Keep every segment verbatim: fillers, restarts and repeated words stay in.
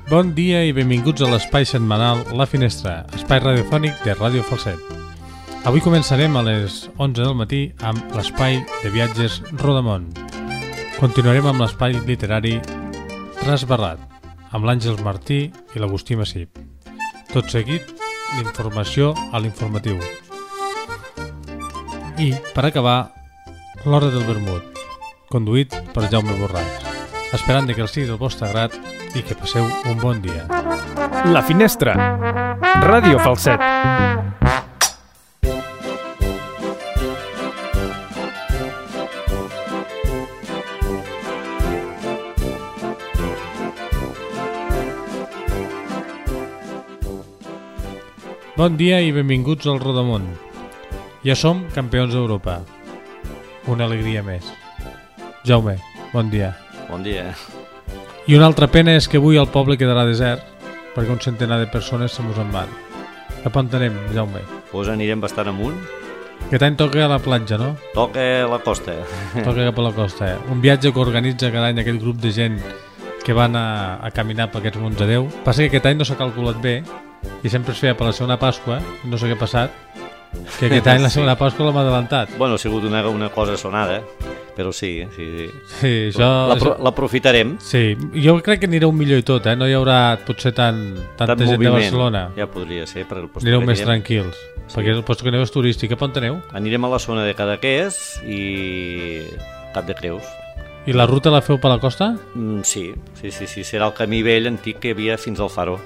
Bon dia i benvinguts a l'espai setmanal La Finestra, espai radiofònic de Ràdio Falset. Avui començarem a les onze del matí amb l'espai de viatges Rodamont. Continuarem amb l'espai literari Trasbarrat, amb l'Àngels Martí i l'Agustí Massip. Tot seguit, l'informació a l'informatiu. I, per acabar, l'Hora del Vermut, conduït per Jaume Borràs. Esperant que el sigui del vostre grat i que passeu un bon dia. La Finestra, Ràdio Falset. Bon dia i benvinguts al Rodamont. Ja som campions d'Europa. Una alegria més. Jaume, bon dia. Bon dia. I una altra pena és que avui el poble quedarà desert perquè un centenar de persones se mos en van. Cap on anem, Jaume? Pues anirem bastant amunt. Aquest any toca a la platja, no? Toca la costa. Toca cap a la costa, eh? Un viatge que organitza cada any aquest grup de gent que van a, a caminar per aquests munts de Déu. Passa que aquest any no s'ha calculat bé i sempre es feia per la segona Pasqua, no sé què ha passat, que aquest any la segona Pasqua l'hem adelantat. Bueno, ha sigut una, una cosa sonada, però sí, sí, sí. Sí, això... L'aprofitarem. Sí, jo crec que anireu millor i tot, eh? No hi haurà potser tant, tanta Tant gent moviment. de Barcelona. Ja podria ser. Per el post Anireu que més anirem. tranquils, Sí. perquè el post que aneu és turístic. Cap on aneu? Anirem a la zona de Cadaqués i Cap de Creus. I la ruta la feu per la costa? Mm, sí, sí, sí, sí, serà el camí vell antic que hi havia fins al Faro.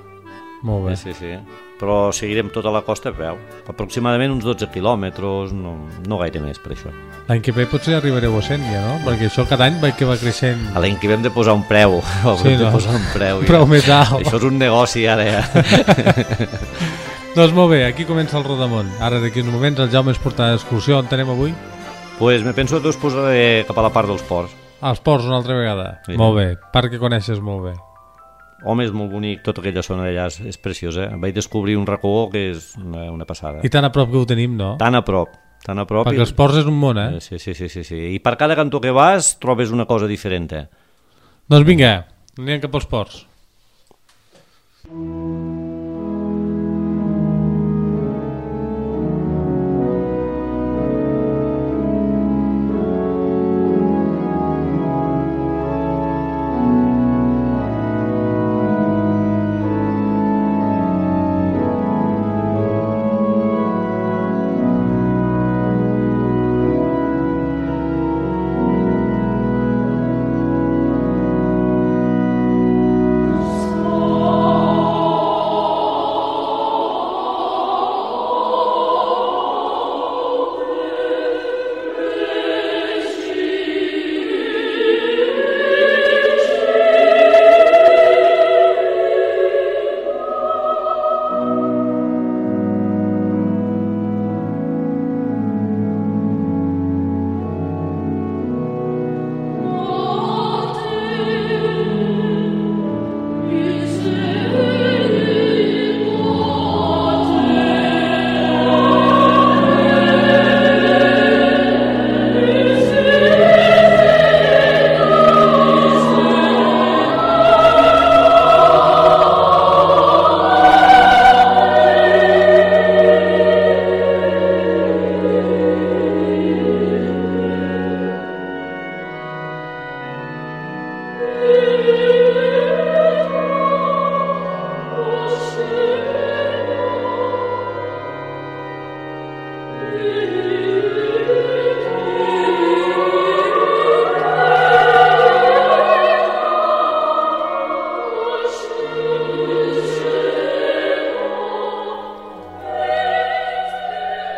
Molt bé. Sí, sí, sí. Però seguirem tota la costa a peu. Aproximadament uns dotze quilòmetres, no, no gaire més per això. L'any que ve potser arribareu a cent ja, no? Perquè això cada any veig que va creixent. A l'any que vam de posar un preu. Sí, Hem de no? posar un preu. Un preu més alt. Això és un negoci ara, ja. Doncs molt bé, aquí comença el Rodamont. Ara d'aquí uns moments el Jaume ens portarà d'excursió. On anem avui? Pues me penso que us posaré cap a la part dels ports. Als ports una altra vegada. Sí. Molt bé, part que coneixes molt bé. Home, és molt bonic, tota aquella zona d'allà és, és preciosa. Vaig descobrir un racó que és una, una passada. I tan a prop que ho tenim, no? Tan a prop, tan a prop. Perquè i... els ports és un món, eh? Sí, sí, sí, sí, sí. I per cada cantó que vas trobes una cosa diferent. Eh? Doncs vinga, anem cap als ports.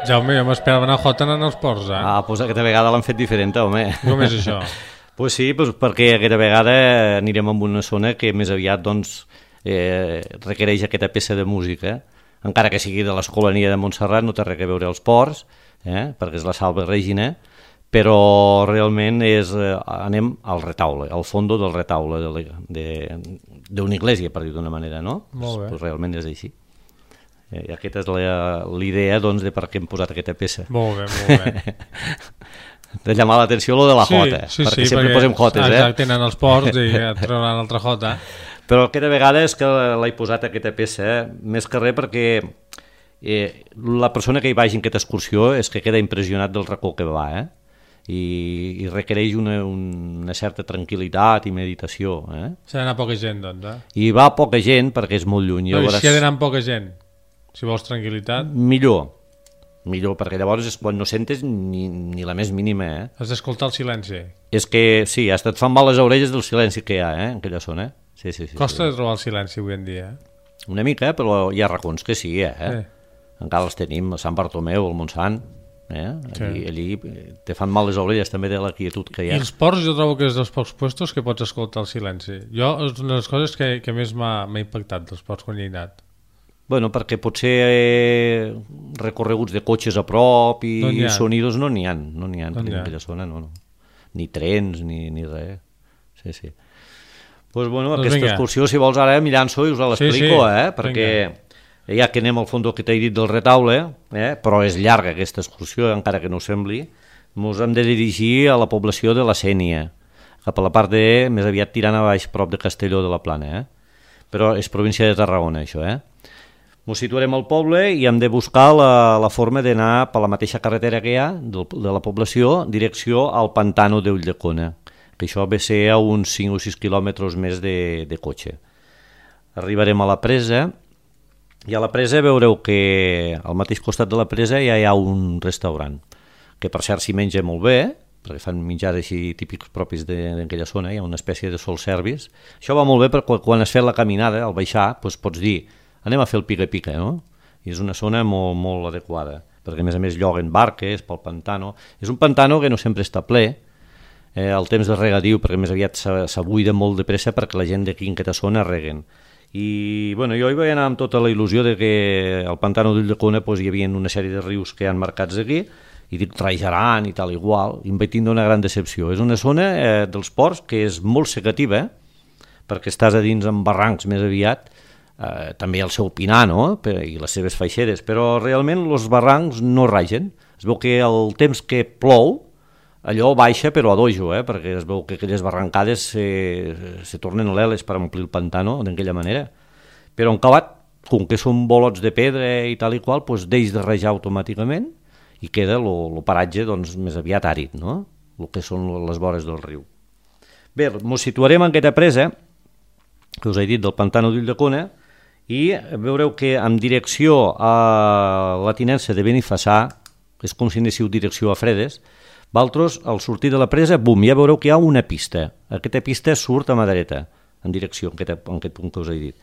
Jaume, jo m'esperava anar a Jota anant als ports, eh? Ah, doncs aquesta vegada l'han fet diferent, home. Com és això? Pues sí, pues perquè aquesta vegada anirem a una zona que més aviat doncs, eh, requereix aquesta peça de música. Encara que sigui de l'Escolania de Montserrat, no té res a veure als ports, eh, perquè és la Salve Regina, però realment és, eh, anem al retaule, al fondo del retaule d'una església, per dir d'una manera, no? Molt bé. Pues realment és així. I aquesta és la, l'idea doncs, de per què hem posat aquesta peça. Molt bé, molt bé. De llamar l'atenció lo de la sí, jota, sí, perquè sí, sempre perquè, posem jotes, eh? Exacte, tenen els ports i et trauran altra jota. Però aquesta vegada és que l'he posat aquesta peça, eh? Més que res perquè eh, la persona que hi vagi en aquesta excursió és que queda impressionat del racó que va, eh? I, i requereix una, una certa tranquil·litat i meditació. Eh? S'ha d'anar poca gent, doncs, eh? I va poca gent perquè és molt lluny. Però llavors... si ha d'anar amb poca gent, si vols tranquil·litat... Millor, millor, perquè llavors és quan no sentes ni, ni la més mínima. Eh? Has d'escoltar el silenci. És que sí, hasta et fan mal les orelles del silenci que hi ha, eh? En aquella zona. Sí, sí, sí, Costa sí. de trobar el silenci avui en dia, eh? Una mica, però hi ha racons que sí, eh? Sí. Encara els tenim, a Sant Bartomeu, al Montsant. Eh? Allí, Sí. allí te fan mal les orelles també de la quietud que hi I ha. els ports jo trobo que és dels pocs puestos que pots escoltar el silenci. Jo és una de les coses que, que més m'ha m'ha impactat dels ports quan hi he anat. Bueno, perquè potser eh, recorreguts de cotxes a prop i No n'hi ha. sonidos no n'hi ha, no n'hi ha No en n'hi ha. aquella zona, no, no. Ni trens, ni, ni res. Sí, sí. Pues bueno, Doncs aquesta vinga. excursió, si vols ara m'hi llanço i us Sí, l'explico, sí. eh? Perquè ja que anem al fons que t'he dit del retaule, eh? Però és llarga aquesta excursió, encara que no ho sembli, ens hem de dirigir a la població de la Sénia, cap a la part de, més aviat tirant a baix, prop de Castelló de la Plana, eh? Però és província de Tarragona, això, eh? Ens situarem al poble i hem de buscar la, la forma d'anar per la mateixa carretera que hi ha del, de la població, direcció al Pantano d'Ulldecona, que això ve a ser a uns cinc o sis quilòmetres més de, de cotxe. Arribarem a la presa, i a la presa veureu que al mateix costat de la presa ja hi ha un restaurant, que per cert s'hi menja molt bé, perquè fan menjars així típics propis d'aquella zona, hi ha una espècie de soul service. Això va molt bé perquè quan has fet la caminada, al baixar, doncs pots dir anem a fer el pica-pica, no? I és una zona molt, molt adequada, perquè a més a més lloguen barques pel pantano. És un pantano que no sempre està ple, eh, el temps de regadiu, perquè més aviat s'abuida molt de pressa perquè la gent d'aquí en aquesta zona reguen. I bueno, jo hi vaig anar amb tota la il·lusió de que al pantano d'Ulldecona pues, hi havia una sèrie de rius que hi ha marcats aquí, i dic Trajaran i tal igual, i em vaig tindre una gran decepció. És una zona eh, dels ports que és molt secativa, eh? Perquè estàs a dins en barrancs més aviat, eh, també el seu pinar, no? I les seves faixeres, però realment els barrancs no ragen. Es veu que el temps que plou, allò baixa però a dojo, eh? Perquè es veu que aquelles barrancades se, se tornen leles per omplir el pantano d'aquella manera. Però en acabat, com que són bolots de pedra i tal i qual, doncs deix de rajar automàticament i queda el paratge doncs, més aviat àrid, no? El que són les vores del riu. Bé, ens situarem en aquesta presa, que us he dit, del pantano d'Ulldecona, i veureu que en direcció a la tinença de Benifassà, és com si anéssiu direcció a Fredes, vosaltres, al sortir de la presa, bum, ja veureu que hi ha una pista. Aquesta pista surt a mà dreta, en direcció, en aquest, en aquest punt que us he dit.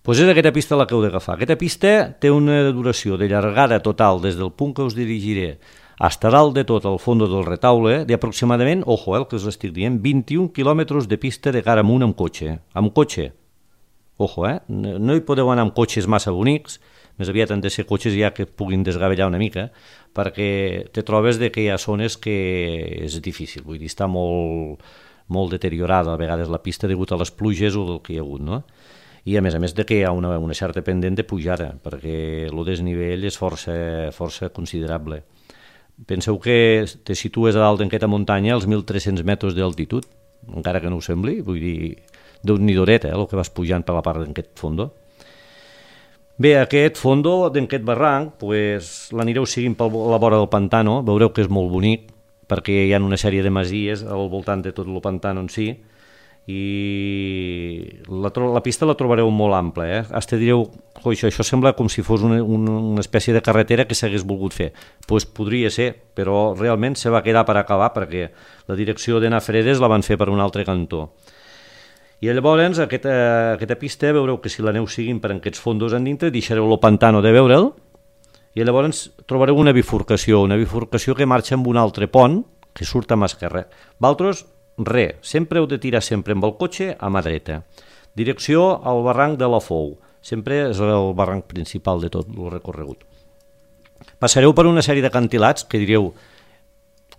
Doncs és aquesta pista la que heu d'agafar. Aquesta pista té una duració de llargada total des del punt que us dirigiré hasta dalt de tot al fons del retaule d'aproximadament, ojo, eh, el que us estic dient, vint-i-un quilòmetres de pista de cara amunt amb cotxe. Amb cotxe. Ojo, eh? No hi podeu anar amb cotxes massa bonics, més aviat han de ser cotxes ja que puguin desgavellar una mica, perquè te trobes de que hi ha zones que és difícil, vull dir, està molt, molt deteriorada a vegades la pista degut a les pluges o del que hi ha hagut, no? I a més a més de que hi ha una, una certa pendent de pujada, perquè el desnivell és força, força considerable. Penseu que te situes a dalt d'aquesta muntanya als mil tres-cents metres d'altitud, encara que no ho sembli, vull dir, déu-n'hi-doret, eh, el que vas pujant per la part d'aquest fondo. Bé, aquest fondo d'aquest barranc, pues, l'anireu seguint per la vora del pantano, veureu que és molt bonic, perquè hi ha una sèrie de masies al voltant de tot el pantano en si, i la, la pista la trobareu molt ampla, eh? Hasta direu, oh, això, això sembla com si fos una, una, una espècie de carretera que s'hagués volgut fer. Doncs pues podria ser, però realment se va quedar per acabar, perquè la direcció d'anar a Fredes la van fer per un altre cantó. I llavors, aquesta, aquesta pista, veureu que si l'aneu seguint per aquests fondos en dintre, deixareu el pantano de veure'l, i llavors trobareu una bifurcació, una bifurcació que marxa amb un altre pont, que surt a mà esquerra. Vosaltres, res, sempre heu de tirar sempre amb el cotxe a mà dreta. Direcció al barranc de la Fou, sempre és el barranc principal de tot el recorregut. Passareu per una sèrie d'acantilats que direu,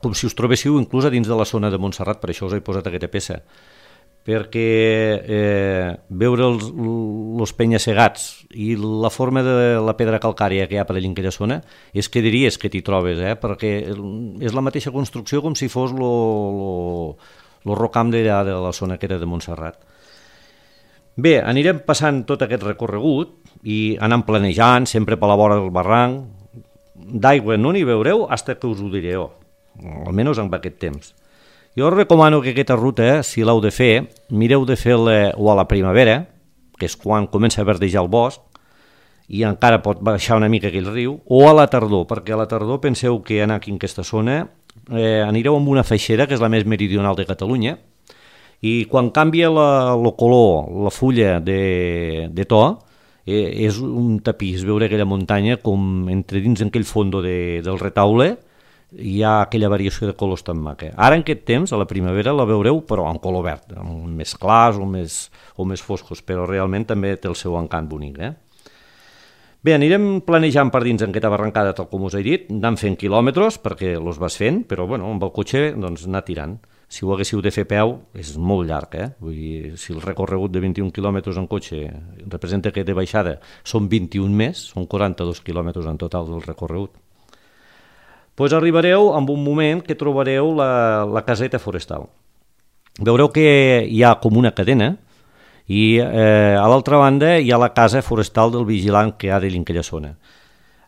com si us trobéssiu inclús a dins de la zona de Montserrat, per això us he posat aquesta peça, perquè eh, veure els, els penya-segats i la forma de la pedra calcària que hi ha per allà en aquella zona és que diries que t'hi trobes, eh? Perquè és la mateixa construcció com si fos el rocam d'allà de la zona que era de Montserrat. Bé, anirem passant tot aquest recorregut i anant planejant, sempre per la vora del barranc. D'aigua no n'hi veureu fins que us ho diré jo, almenys en aquest temps. Jo us recomano que aquesta ruta, si l'heu de fer, mireu de fer-la o a la primavera, que és quan comença a verdejar el bosc, i encara pot baixar una mica aquell riu, o a la tardor, perquè a la tardor penseu que anar aquí en aquesta zona eh, anireu amb una feixera, que és la més meridional de Catalunya, i quan canvia la, el color, la fulla de, de to, eh, és un tapís veure aquella muntanya com entre dins aquell fondo de, del retaule hi ha aquella variació de colors tan maca. Ara en aquest temps, a la primavera, la veureu però en color verd, més clars o més, o més foscos, però realment també té el seu encant bonic. Eh? Bé, anirem planejant per dins en aquesta barrancada, tal com us he dit, anant fent quilòmetres perquè els vas fent, però bueno, amb el cotxe doncs, anar tirant. Si ho haguéssiu de fer a peu, és molt llarg, eh? Vull dir, si el recorregut de vint-i-un quilòmetres en cotxe representa que de baixada són vint-i-un més, són quaranta-dos quilòmetres en total del recorregut. Pues arribareu en un moment que trobareu la, la caseta forestal. Veureu que hi ha com una cadena i eh, a l'altra banda hi ha la casa forestal del vigilant que ha de aquella zona.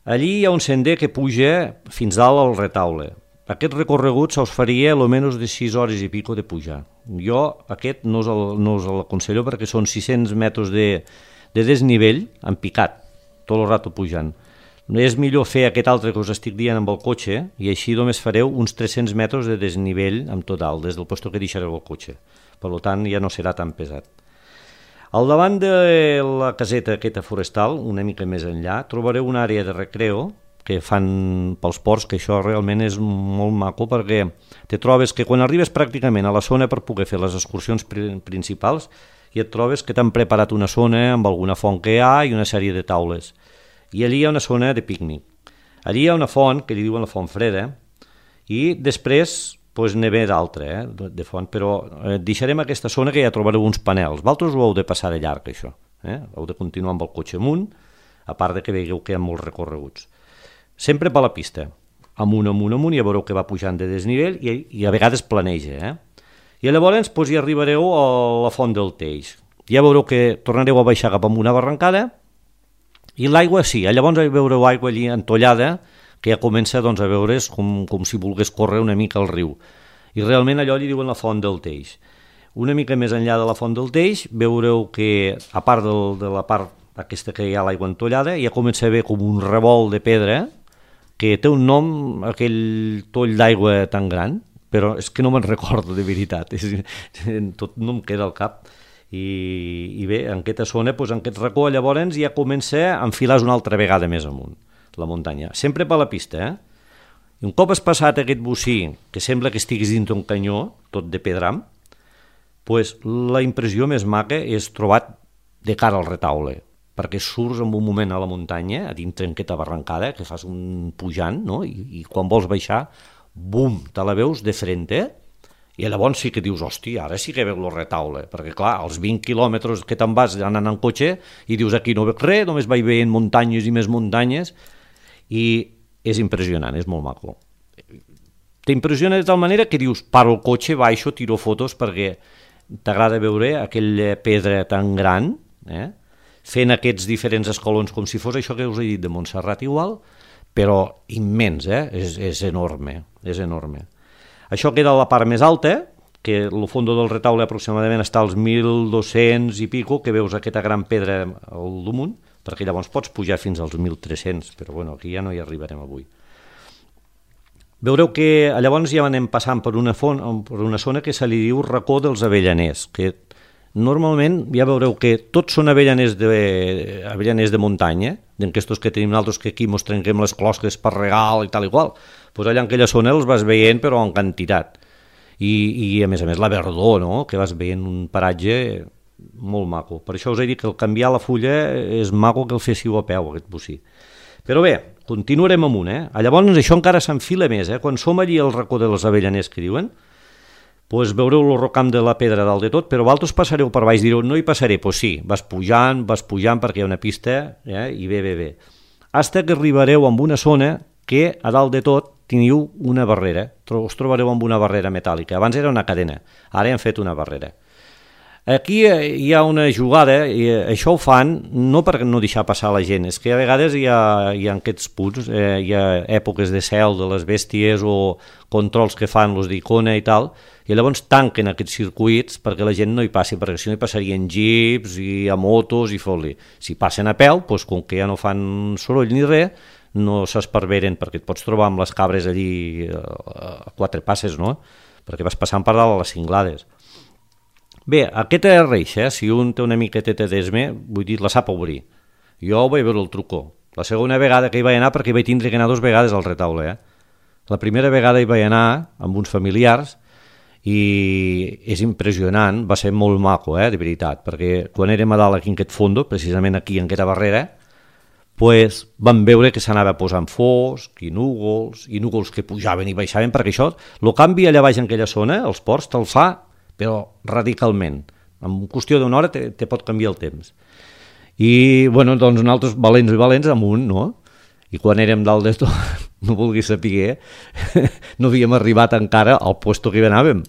Allí hi ha un sender que puja fins dalt al retaule. Aquest recorregut se us faria almenys de sis hores i pico de pujar. Jo aquest no us, el, no us l'aconsello perquè són sis-cents metres de, de desnivell en picat, tot el rato pujant. És millor fer aquest altre que us estic dient amb el cotxe i així només fareu uns tres-cents metres de desnivell en total, des del lloc que deixareu el cotxe. Per tant, ja no serà tan pesat. Al davant de la caseta aquesta forestal, una mica més enllà, trobareu una àrea de recreo que fan pels ports, que això realment és molt maco perquè te trobes que quan arribes pràcticament a la zona per poder fer les excursions principals i et trobes que t'han preparat una zona amb alguna font que hi ha i una sèrie de taules. I allí hi ha una zona de pícnic. Allí hi ha una font, que li diuen la font freda, i després pues, n'hi ve d'altra, eh, de font, però eh, deixarem aquesta zona que ja trobareu uns panels. Vosaltres ho heu de passar de llarg, això. Eh? Heu de continuar amb el cotxe amunt, a part de que veieu que hi ha molts recorreguts. Sempre per la pista, amunt, amunt, amunt, ja veureu que va pujant de desnivell i, i a vegades planeja. Eh? I llavors doncs, hi arribareu a la font del Teix. Ja veureu que tornareu a baixar cap amb una barrancada i l'aigua sí, llavors veureu aigua allí entollada que ja comença doncs, a veure's com, com si volgués córrer una mica al riu. I realment allò li diuen la font del Teix. Una mica més enllà de la font del Teix veureu que a part del, de la part aquesta que hi ha l'aigua entollada ja comença a haver com un revolt de pedra que té un nom, aquell toll d'aigua tan gran, però és que no me'n recordo de veritat, és, tot no em queda al cap. I, i bé, en aquesta zona, doncs, en aquest racó, llavors ja comença a enfilar una altra vegada més amunt, la muntanya. Sempre per la pista, eh? I un cop has passat aquest bocí, que sembla que estiguis dins d'un canyó, tot de pedram, doncs la impressió més maca és trobat de cara al retaule, perquè surts en un moment a la muntanya, a dintre en aquesta barrancada, que fas un pujant, no? I, i quan vols baixar, bum, te la veus de frente, i llavors sí que dius, hòstia, ara sí que veus el retaule, perquè clar, els vint quilòmetres que te'n vas anant en cotxe, i dius, aquí no veig res, només vaig veient muntanyes i més muntanyes, i és impressionant, és molt maco. T'impressiona de tal manera que dius, paro el cotxe, baixo, tiro fotos, perquè t'agrada veure aquella pedra tan gran, eh? Fent aquests diferents escalons com si fos això que us he dit de Montserrat igual, però immens, eh? és, és enorme, és enorme. Això queda a la part més alta, que el fons del retaule aproximadament està als mil dos-cents i pico, que veus aquesta gran pedra al damunt, perquè llavors pots pujar fins als mil tres-cents, però bueno, aquí ja no hi arribarem avui. Veureu que llavors ja anem passant per una, font, per una zona que se li diu racó dels avellaners, que normalment ja veureu que tots són avellaners de, avellaners de muntanya, d'aquestos que tenim nosaltres que aquí mos trenquem les closques per regal i tal i qual. Pues allà en aquella zona els vas veient però en quantitat. I, i a més a més la verdor, no? Que vas veient un paratge molt maco. Per això us he dit que el canviar la fulla és maco que el féssiu a peu, aquest bocí. Però bé, continuarem amunt, eh? Llavors això encara s'enfila més, eh? Quan som allí al racó dels avellaners que diuen, pues veureu el rocam de la pedra dalt de tot, però vosaltres passareu per baix, direu, no hi passaré, doncs pues sí, vas pujant, vas pujant perquè hi ha una pista, eh? I bé, bé, bé. Hasta que arribareu amb una zona que a dalt de tot teniu una barrera, us trobareu amb una barrera metàl·lica, abans era una cadena, ara han fet una barrera. Aquí hi ha una jugada, i això ho fan no per no deixar passar la gent, és que a vegades hi ha, hi ha aquests punts, eh, hi ha èpoques de cel de les bèsties o controls que fan los d'Icona i tal, i llavors tanquen aquests circuits perquè la gent no hi passi, perquè si no hi passarien jeeps i a motos i fot-li. Si passen a peu, doncs, com que ja no fan soroll ni res, no s'esparveren, perquè et pots trobar amb les cabres allí a quatre passes, no? Perquè vas passant per dalt a les cinglades. Bé, aquesta reixa, eh? Si un té una miqueta d'esme, vull dir, la sap obrir. Jo vaig veure el trucó. La segona vegada que hi vaig anar, perquè hi vaig tindre que anar dues vegades al retaule, eh? La primera vegada hi vaig anar amb uns familiars i és impressionant, va ser molt maco, eh? De veritat, perquè quan érem a dalt aquí en aquest fondo, precisament aquí en aquesta barrera, pues, vam veure que s'anava posant fosc i núvols, i núvols que pujaven i baixaven, perquè això, el canvi allà baix en aquella zona, els ports, te'l fa però radicalment. En qüestió d'una hora te, te pot canviar el temps. I, bueno, doncs nosaltres, valents i valents, amunt, no? I quan érem dalt de tot, no vulgui saber, no havíem arribat encara al puesto que hi anàvem.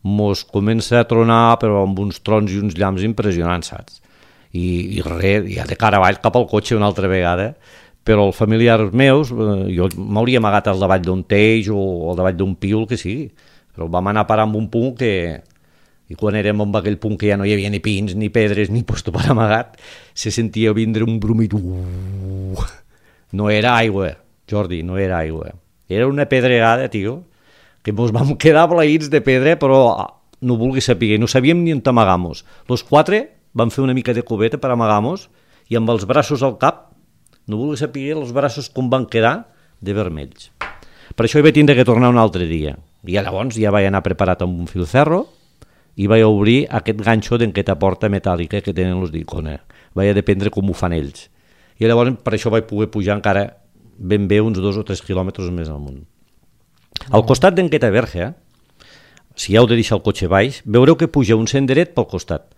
Mos comença a tronar, però amb uns trons i uns llamps impressionants, saps? I, i res, ja de cara avall cap al cotxe una altra vegada, però els familiars meus, jo m'hauria amagat al davall d'un teix o al davall d'un piul, que sigui, però vam anar a parar amb un punt que... I quan érem en aquell punt que ja no hi havia ni pins, ni pedres, ni puesto per amagat, se sentia vindre un brumit. Uh, no era aigua, Jordi, no era aigua. Era una pedregada, tio, que mos vam quedar blaïts de pedra, però no vulgui saber, no sabíem ni on amagamos. Los quatre vam fer una mica de cubeta per amagamos i amb els braços al cap, no vulgui saber els braços com van quedar de vermells. Per això hi vaig tindre que tornar un altre dia. I llavors ja vaig anar preparat amb un filferro i vaig obrir aquest ganxo d'aquesta porta metàl·lica que tenen els d'Icona. Vaig a dependre com ho fan ells. I llavors per això vaig poder pujar encara ben bé uns dos o tres quilòmetres més amunt. Al costat d'aquesta verge, si heu de deixar el cotxe baix, veureu que puja un senderet pel costat.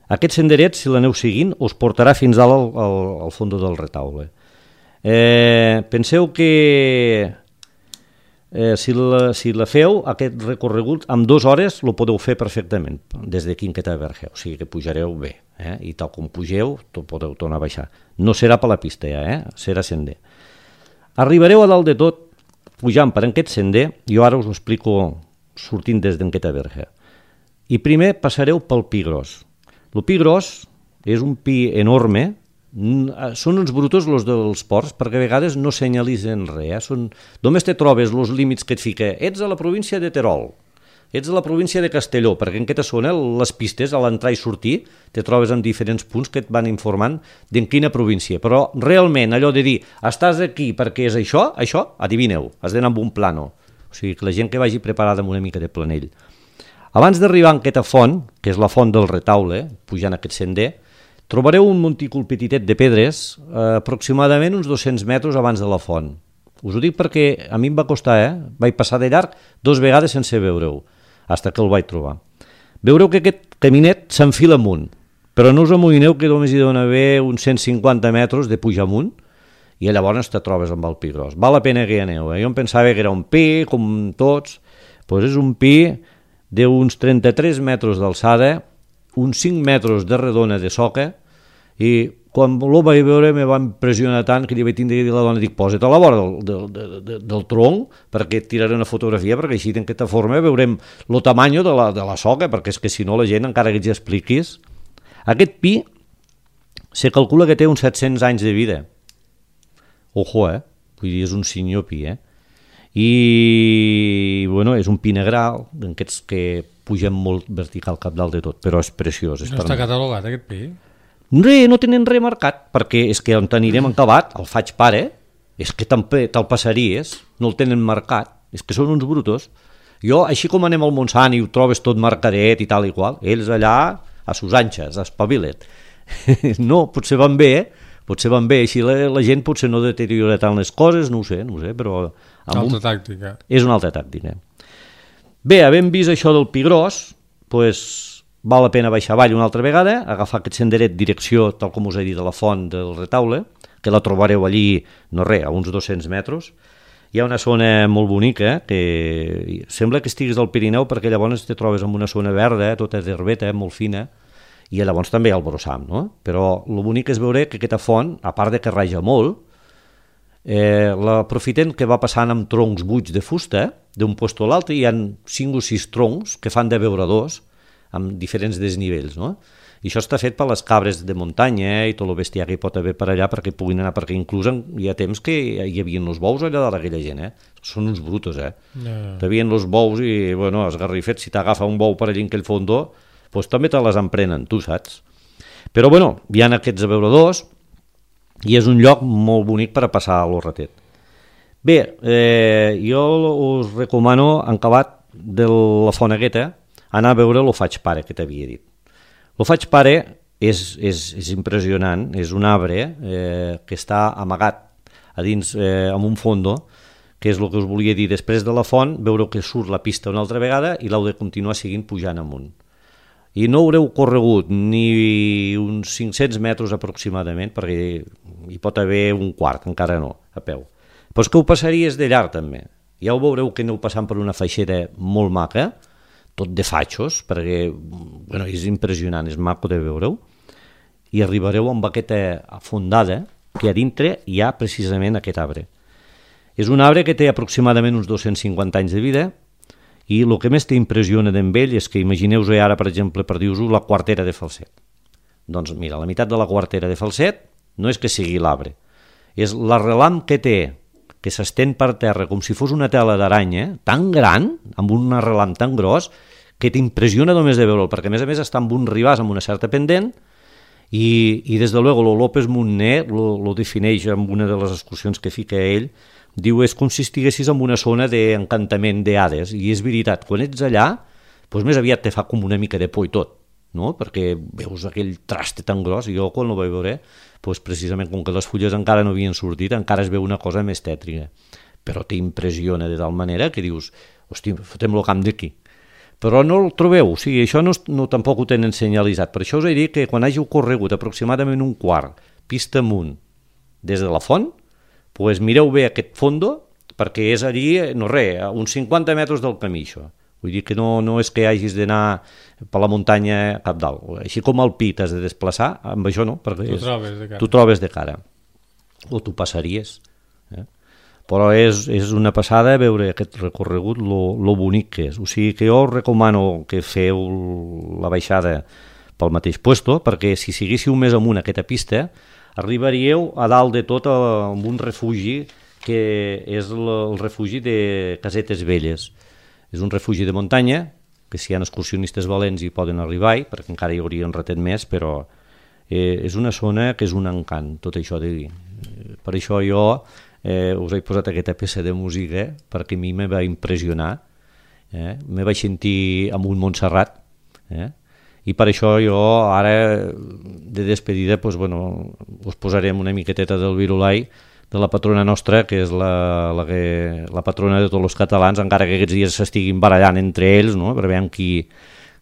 Aquest senderet, si l'aneu seguint, us portarà fins dalt al, al, al fons del retaule. Eh, penseu que... Eh, si, la, si la feu, aquest recorregut, amb dues hores lo podeu fer perfectament, des d'aquí en aquesta verge, o sigui que pujareu bé, eh? I tal com pugeu, podeu tornar a baixar. No serà per la pista ja, eh? Serà sender. Arribareu a dalt de tot, pujant per aquest sender, jo ara us ho explico sortint des d'aquesta verge. I primer passareu pel pi gros. El pi gros és un pi enorme, són uns brutos els dels ports perquè a vegades no senyalitzen res, eh? Són... només te trobes els límits que et fica, ets a la província de Terol, ets a la província de Castelló, perquè en aquesta zona les pistes a l'entrar i sortir te trobes en diferents punts que et van informant d'en quina província, però realment allò de dir estàs aquí perquè és això, això, adivineu, has d'anar amb un plano, o sigui que la gent que vagi preparada amb una mica de planell. Abans d'arribar a aquesta font, que és la font del retaule, pujant aquest sender, trobareu un montícul petitet de pedres, eh, aproximadament uns dos-cents metres abans de la font. Us ho dic perquè a mi em va costar, eh? Vaig passar de llarg dos vegades sense veure-ho, fins que el vaig trobar. Veureu que aquest caminet s'enfila amunt, però no us amoïneu que només hi deuen haver uns cent cinquanta metres de pujar amunt i llavors te trobes amb el pi gros. Val la pena que hi aneu, eh? Jo em pensava que era un pi, com tots, doncs és un pi d'uns trenta-tres metres d'alçada, uns cinc metres de redona de soca, i quan el vaig veure me va impressionar tant que li vaig tindre que dir a la dona, dic, posa't a la vora del, del, del, del tronc perquè et tiraré una fotografia, perquè així d'aquesta forma veurem el tamany de la, de la soca, perquè és que si no la gent, encara que ets expliquis, aquest pi se calcula que té uns set-cents anys de vida. Ojo, eh? Vull dir, és un senyor pi, eh? I, bueno, és un pi negral, d'aquests que pugen molt vertical cap dalt de tot, però és preciós. És no està catalogat, aquest pi? Re, no tenen res marcat, perquè és que on anirem acabat, el faig pare, és que te'l passaries, no el tenen marcat, és que són uns brutos. Jo, així com anem al Montsant i ho trobes tot marcadet i tal i qual, ells allà, a sus anxes, espavilet. No, potser van bé, potser van bé, així la, la gent potser no deteriora tant les coses, no ho sé, no ho sé, però... Altra un... tàctica. És una altra tàctica. Bé, havent vist això del pi gros, doncs val la pena baixar avall una altra vegada, agafar aquest senderet direcció, tal com us he dit, de la font del retaule, que la trobareu allí, no res, a uns dos-cents metres, hi ha una zona molt bonica, que sembla que estiguis al Pirineu perquè llavors te trobes en una zona verda, tota d'herbeta, molt fina, i llavors també hi ha el brossam, no? Però el bonic és veure que aquesta font, a part de que raja molt, eh, l'aprofiten que va passant amb troncs buits de fusta, d'un lloc a l'altre, hi ha cinc o sis troncs que fan de beuradors amb diferents desnivells, no? I això està fet per les cabres de muntanya i tot el bestiar que hi pot haver per allà perquè puguin anar, perquè inclús hi ha temps que hi havia els bous allà dalt d'aquella gent, eh? Són uns brutos, eh? No. Hi havia els bous i, bueno, esgarrifets, si t'agafa un bou per allà en aquell fondó, doncs també te les emprenen, tu saps? Però, bueno, hi ha aquests abeuradors i és un lloc molt bonic per a passar a l'Orratet. Bé, eh, jo us recomano, en acabat de la Fonegueta, anar a veure lo Faig Pare, que t'havia dit. Lo Faig Pare és, és, és impressionant, és un arbre eh, que està amagat a dins eh, amb un fondo, que és el que us volia dir, després de la font, veure que surt la pista una altra vegada i l'heu de continuar seguint pujant amunt. I no haureu corregut ni uns cinc-cents metres aproximadament, perquè hi pot haver un quart, encara no, a peu. Però és que ho passaries de llarg també. Ja ho veureu que aneu passant per una feixera molt maca, tot de fatxos, perquè bueno, és impressionant, és maco de veure-ho, i arribareu amb aquesta fondada que a dintre hi ha precisament aquest arbre. És un arbre que té aproximadament uns dos-cents cinquanta anys de vida, i el que més t'impressiona d'amb ell és que imagineu-vos ara, per exemple, per dir-vos la quartera de Falset. Doncs mira, la meitat de la quartera de Falset no és que sigui l'arbre, és l'arrelam que té, que s'estén per terra com si fos una tela d'aranya, tan gran, amb un arrelam tan gros, que t'impressiona només de veure'l, perquè a més a més està amb un ribàs amb una certa pendent, i, i des de luego, lo López Montner lo, lo defineix amb una de les excursions que fica ell, diu, és com si estiguessis en una zona d'encantament d'Hades, i és veritat, quan ets allà, doncs més aviat te fa com una mica de por i tot, no? Perquè veus aquell traste tan gros, i jo quan ho vaig veure, doncs precisament com que les fulles encara no havien sortit, encara es veu una cosa més tètrica, però t'impressiona de tal manera que dius, hosti, fotem-lo camp d'aquí. Però no el trobeu, o sigui, això no, no tampoc ho tenen senyalitzat, per això us he dit que quan hàgiu corregut aproximadament un quart, pista amunt, des de la font, pues mireu bé aquest fondo, perquè és allí, no res, a uns cinquanta metres del camí, això. Vull dir que no, no és que hagis d'anar per la muntanya cap dalt. Així com al pi t'has de desplaçar, amb això no, perquè és, trobes de cara. Tu trobes de cara. O tu passaries. Eh? Però és, és una passada veure aquest recorregut, lo, lo bonic que és. O sigui que jo us recomano que feu la baixada pel mateix puesto, perquè si seguíssiu més amunt aquesta pista, arribaríeu a dalt de tot amb un refugi que és el, el refugi de Casetes Velles. És un refugi de muntanya, que si hi ha excursionistes valents hi poden arribar-hi, perquè encara hi hauria un ratet més, però eh, és una zona que és un encant, tot això de dir. Per això jo eh, us he posat aquesta peça de música, perquè a mi me va impressionar, eh? Me vaig sentir amb un Montserrat, eh? I per això jo ara de despedida doncs, bueno, us posarem una miqueteta del Virulai de la patrona nostra, que és la, la, que, la patrona de tots els catalans, encara que aquests dies s'estiguin barallant entre ells, no? Per veure qui,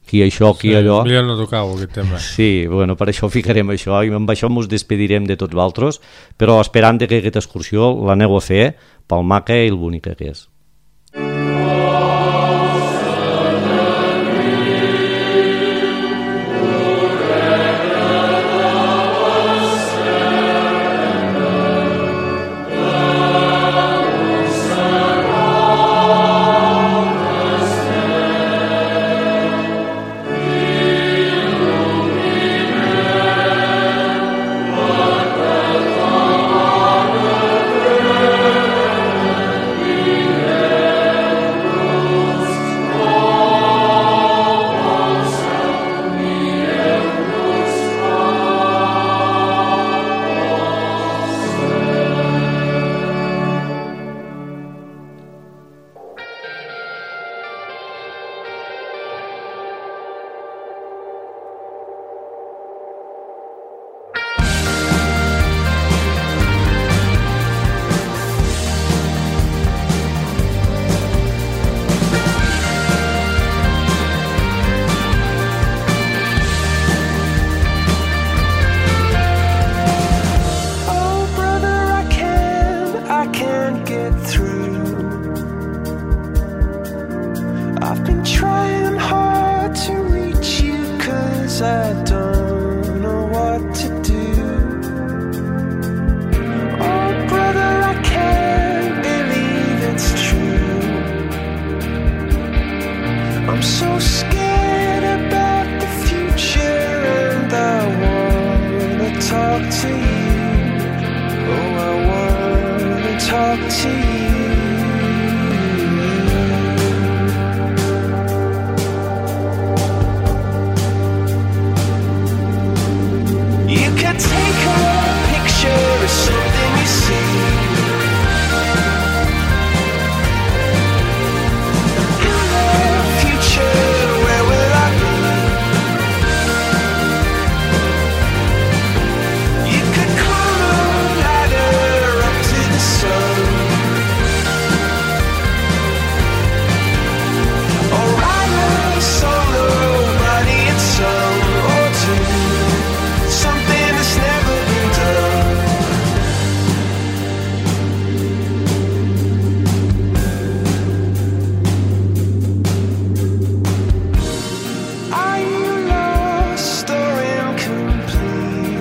qui això, qui sí, allò. Millor no tocau aquest tema. Sí, bueno, per això ficarem això i amb això ens despedirem de tots vosaltres, però esperant que aquesta excursió l'aneu a fer pel maca i el bonica que és. Yeah. talk to you. You could take a picture of something you see. In the future, where will I be? You could climb a ladder up to the sun, or ride a solo body and song, or do something that's never been done. Are you lost or incomplete?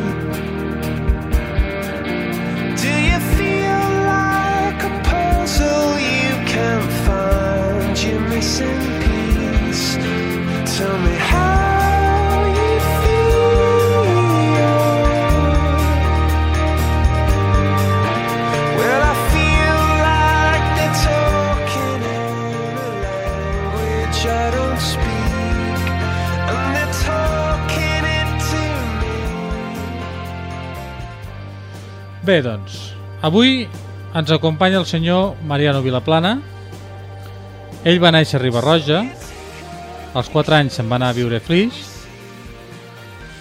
Do you feel like a puzzle you can't find your missing piece? Tell me how you feel. Well, I feel like they're talking in a language I don't speak, and they're talking it to me. Bé, doncs, avui ens acompanya el senyor Mariano Vilaplana. Ell va néixer a Riba-roja, als quatre anys se'n va anar a viure a Flix,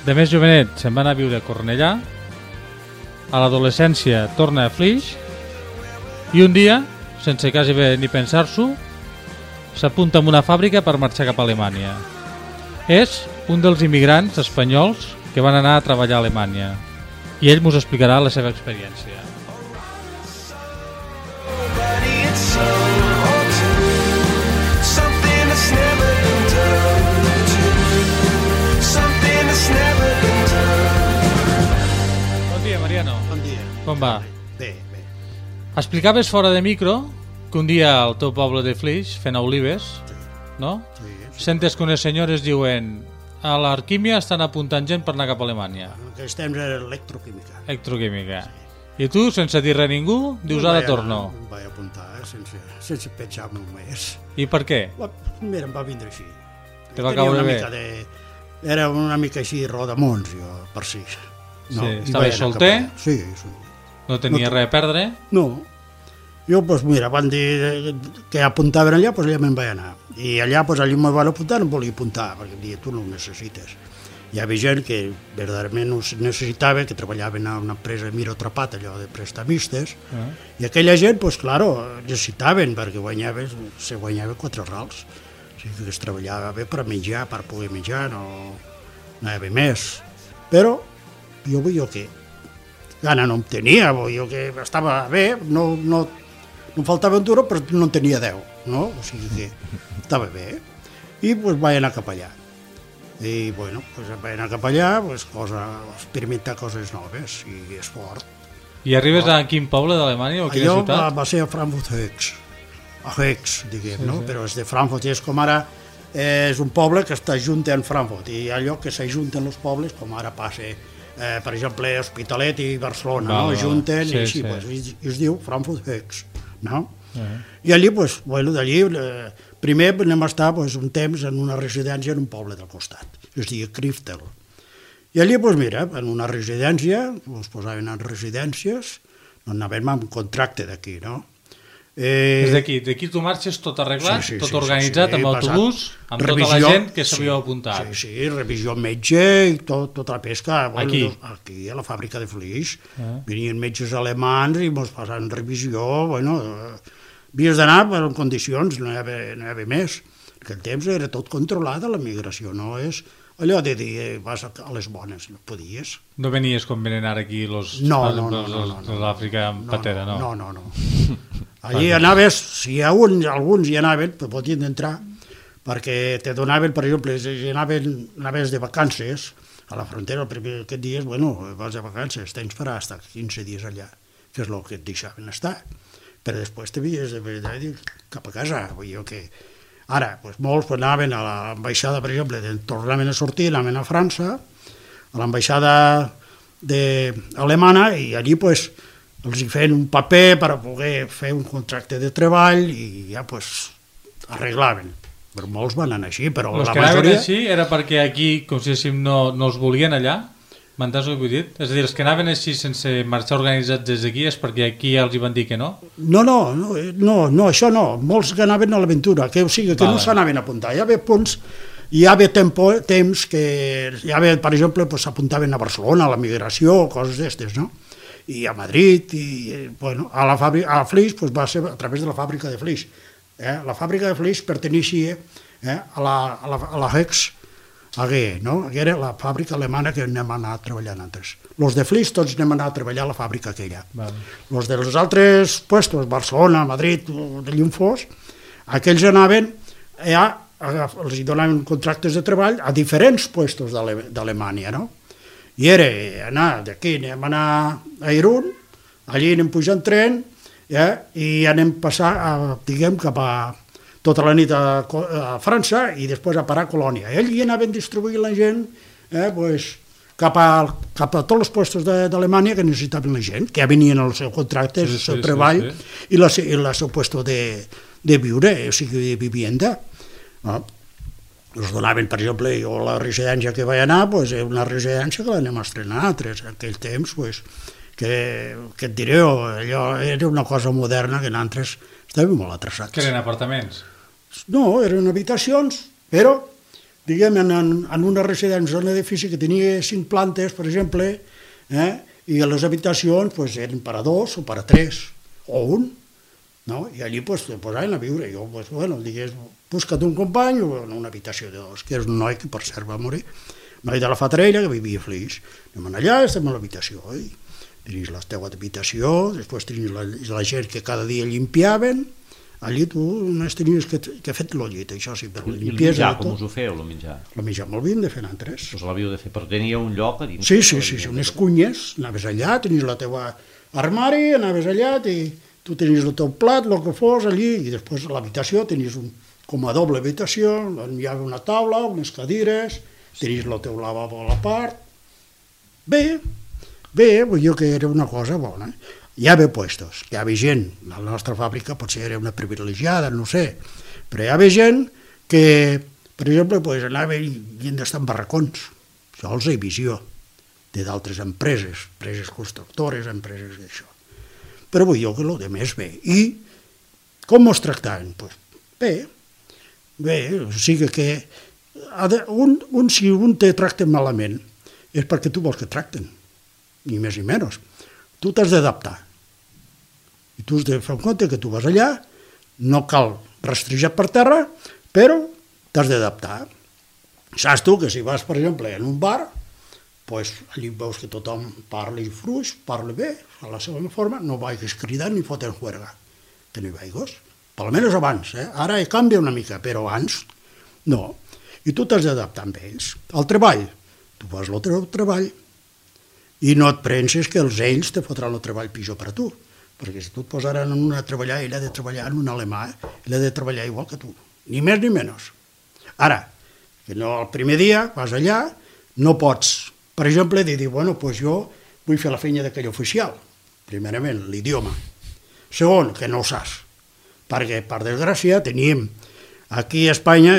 de més jovenet se'n va anar a viure a Cornellà, a l'adolescència torna a Flix i un dia, sense quasi bé ni pensar-s'ho, s'apunta en una fàbrica per marxar cap a Alemanya. És un dels immigrants espanyols que van anar a treballar a Alemanya i ell mos explicarà la seva experiència. Body and soul, or do something that's never been done. Do something that's never been done. Bon dia, Mariano. Bon dia. Com va? Bé, bé. Explicaves fora de micro que un dia al teu poble de Flix, fent olives, no? Sí, sí. Sentes que unes senyores diuen a l'Arquímia estan apuntant gent per anar cap a Alemanya. En aquells temps era electroquímica. Electroquímica. I tu, sense dir res a ningú, dius ara torno. Em vaig apuntar, eh, sense, sense pensar només. I per què? Va, mira, em va vindre així. Te va Tenia caure una bé. mica de... Era una mica així rodamons, jo, per si. Sí, i estaves vaig anar solter? cap allà. Sí, sí. No tenia No res a perdre? No. Jo, doncs mira, van dir que apuntaven allà, doncs allà me'n vaig anar. I allà, doncs allà me'n van apuntar, no em volia apuntar, perquè em deia, tu no ho necessites. Hi havia gent que verdaderament ho necessitava, que treballaven a una empresa Miro Trapat, allò de prestamistes, Ah. i aquella gent, doncs, claro, necessitaven, perquè guanyava, se guanyava quatre rals. O sigui que es treballava bé per menjar, per poder menjar, no, no hi havia més. Però jo vull jo què? Gana no em tenia, vull jo que estava bé, no, no, no em faltava un duro, però no en tenia deu, no? O sigui que estava bé. I doncs vaig anar cap allà. I, bueno, pues vaig anar cap allà, pues, cosa, experimentar coses noves, i és fort. I arribes a quin poble d'Alemanya o quina Allò va, ciutat? va ser a Frankfurt-Höchst, a Höchst, diguem, Sí, no? sí. Però és de Frankfurt, és com ara, eh, és un poble que està junt en Frankfurt, i allò que s'ajunten els pobles, com ara passa, eh, per exemple, Hospitalet i Barcelona, Val, no? val. Junten, Sí, i així, sí. pues, i, i es diu Frankfurt-Höchst, no? Uh-huh. I allí, pues, bueno, d'allí, eh, primer anem a estar pues, un temps en una residència en un poble del costat, es diu Kriftel. I allí, pues, mira, en una residència, ens posaven en residències, no anàvem amb contracte d'aquí, no? Eh, És d'aquí, d'aquí tu marxes tot arreglat, sí, sí, tot sí, organitzat, sí, sí, amb autobús, passat. amb tota la Revisió, gent que s'havia sí, apuntat. Sí, sí, revisió metge i tot, tota la pesca. Bueno, Aquí? Aquí, a la fàbrica de Flix. Ah. Venien metges alemans i ens passaven revisió, bueno, eh, havies d'anar per en condicions, no hi havia, no hi havia més. En aquell temps era tot controlat, la migració, no és allò de dir, eh, vas a a les bones, no podies. No venies com venen ara aquí los, No, per no, exemple, no, no, els no, de no. l'Àfrica en patera, no? No, no, no. Allí anaves, si hi ha un, alguns hi anaven, però podien entrar, perquè te donaven, per exemple, si anaven, anaves de vacances a la frontera, el primer que et dies, bueno, vas de vacances, tens per estar quinze dies allà, que és el que et deixaven estar. Però després t'havies de dir cap a casa, vull dir que... Ara, doncs molts pues, anaven a l'ambaixada, per exemple, tornaven a sortir, anaven a França, a l'ambaixada alemana, i allí pues, els hi feien un paper per a poder fer un contracte de treball i ja pues, arreglaven. Però molts van anar així, però Els la que anaven majoria... així era perquè aquí, com si diguéssim, no, no els volien allà? M'entens el que vull dir? És a dir, els que anaven així sense marxar organitzats des d'aquí és perquè aquí ja els hi van dir que no? No, no, no, no, no això no. Molts que anaven a l'aventura, que, o sigui, que Vale. no s'anaven a apuntar. Hi havia punts, hi havia tempo, temps que, hi havia, per exemple, pues, s'apuntaven a Barcelona, a la migració, coses d'estes, no? I a Madrid, i bueno, a la fàbrica, a Flix pues, va ser a través de la fàbrica de Flix. Eh? La fàbrica de Flix perteneixia eh, a la, a la, a la Hex A G, no? Que era la fàbrica alemana que anem a anar treballant antes. Los de Flix tots anem a anar a treballar a la fàbrica aquella. Vale. Los dels altres puestos, Barcelona, Madrid, de llum fos, aquells anaven, ja, els hi donaven contractes de treball a diferents puestos d'Alemanya, no? I era anar d'aquí, anem a anar a Irún, allí anem pujant tren, ja, i anem passar, a, diguem, cap a tota la nit a, a França i després a parar a Colònia. I allí anaven distribuint la gent eh, pues, cap, a, cap a tots els puestos d'Alemanya que necessitaven la gent, que ja venien els seus contractes, el Sí, seu sí, treball sí, sí. i la, i el seu puesto de, de viure, o sigui, de vivienda. No? Els donaven, per exemple, jo la residència que vaig anar, pues, és una residència que l'anem a estrenar altres. En aquell temps, pues, que, que et diré, allò era una cosa moderna que nosaltres estàvem molt atrasats. Que eren apartaments? No, eren habitacions, però, diguem, en, en, en una residència, un edifici que tenia cinc plantes, per exemple, eh, i les habitacions pues, eren per a dos o per a tres, o un, no? I allí pues, te posaven a viure. Jo, pues, bueno, digués, busca't un company o en una habitació de dos, que és un noi que per cert va morir, noi de la Fatarella que vivia a Flix. Anem allà, estem a l'habitació, i tenies la teva habitació, després tenies la, la gent que cada dia limpiaven, allí tu només tenies que, que fet el llit, això sí, però I el limpiesa menjar, com us ho feu, el menjar? El menjar molt havíem de fer nosaltres. Us l'havíeu de fer, però tenia un lloc a dins? Sí, sí, sí, sí, unes cunyes, anaves allà, tenies la teva armari, anaves allà, i tu tenies el teu plat, el que fos allí, i després a l'habitació tenies un, com a doble habitació, on hi havia una taula, unes cadires, tenies el teu lavabo a la part. Bé, bé, vull dir que era una cosa bona. Hi havia puestos, hi havia gent, la nostra fàbrica potser era una privilegiada, no sé, però hi havia gent que, per exemple, pues, anava i havien d'estar en barracons, sols i visió, de d'altres empreses, empreses constructores, empreses d'això. Però vull dir que el de més bé. I com ens tractaven? Pues, bé, bé, o sigui que un, un, si un te tracta malament és perquè tu vols que tracten, ni més ni menys. Tu t'has d'adaptar. I tu has de fer en compte que tu vas allà, no cal rastrejar per terra, però t'has d'adaptar. Saps tu que si vas, per exemple, en un bar, pues, allí veus que tothom parli fluix, parli bé, a la seva forma, no vagis cridant ni fotent juerga, que no hi vagis. Per almenys abans, eh? Ara canvia una mica, però abans no. I tu t'has d'adaptar amb ells. Al treball, tu fas el teu treball i no et penses que els ells te fotran el treball pitjor per a tu, perquè si tu et posaran en una a treballar, ell ha de treballar en un alemà, ell ha de treballar igual que tu, ni més ni menys. Ara, que no el primer dia vas allà, no pots, per exemple, dir, bueno, doncs jo vull fer la feina d'aquell oficial, primerament, l'idioma. Segon, que no ho saps, perquè, per desgràcia, teníem, aquí a Espanya,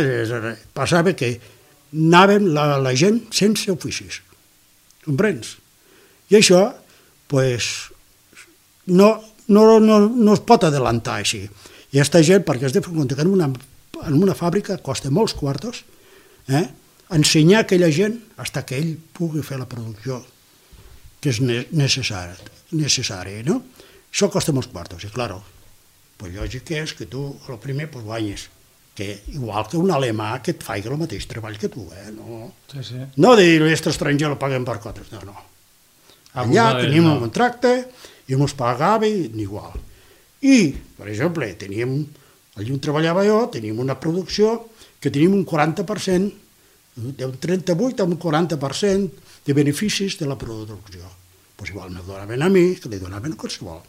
passava que anàvem la, la gent sense oficis, comprens? I això, doncs, no, no, no, no es pot adelantar així. I aquesta gent, perquè has de fer compte que en una, en una fàbrica costa molts quartos, eh? Ensenyar a aquella gent fins que ell pugui fer la producció que és necessari, necessari no? Això costa molts quartos, i clar, pues lògic és que tu, el primer, pues, guanyes, que igual que un alemà que et faci el mateix treball que tu, eh? No, Sí, sí. no dir, aquest estranger el paguem per quotes, no, no. Allà teníem un contracte i ens pagava igual. I, per exemple, teníem, allà on treballava jo, teníem una producció que teníem un quaranta per cent, d'un trenta-vuit a un quaranta per cent de beneficis de la producció. Pues igual me donaven a mi, que li donaven a qualsevol.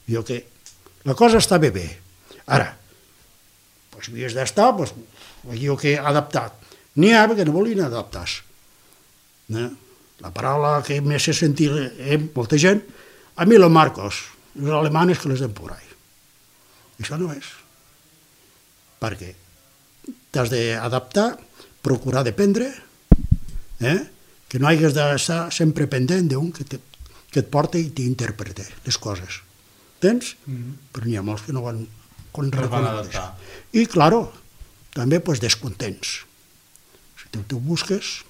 Jo que la cosa estava bé. Ara, pues havies d'estar, pues, jo que adaptat. N'hi ha que no volien adaptar-se. Eh? La paraula que més he sentit, eh, molta gent, a mí los marcos, los alemanes que les den por ahí. Això no és. Perquè t'has d'adaptar, procurar dependre, eh? Que no hagis d'estar sempre pendent d'un que, te, que et porta i t'interprete les coses. Tens? Mm-hmm. Però n'hi ha molts que no van con reconegudes. I, claro, també pues, descontents. Si tu, tu busques,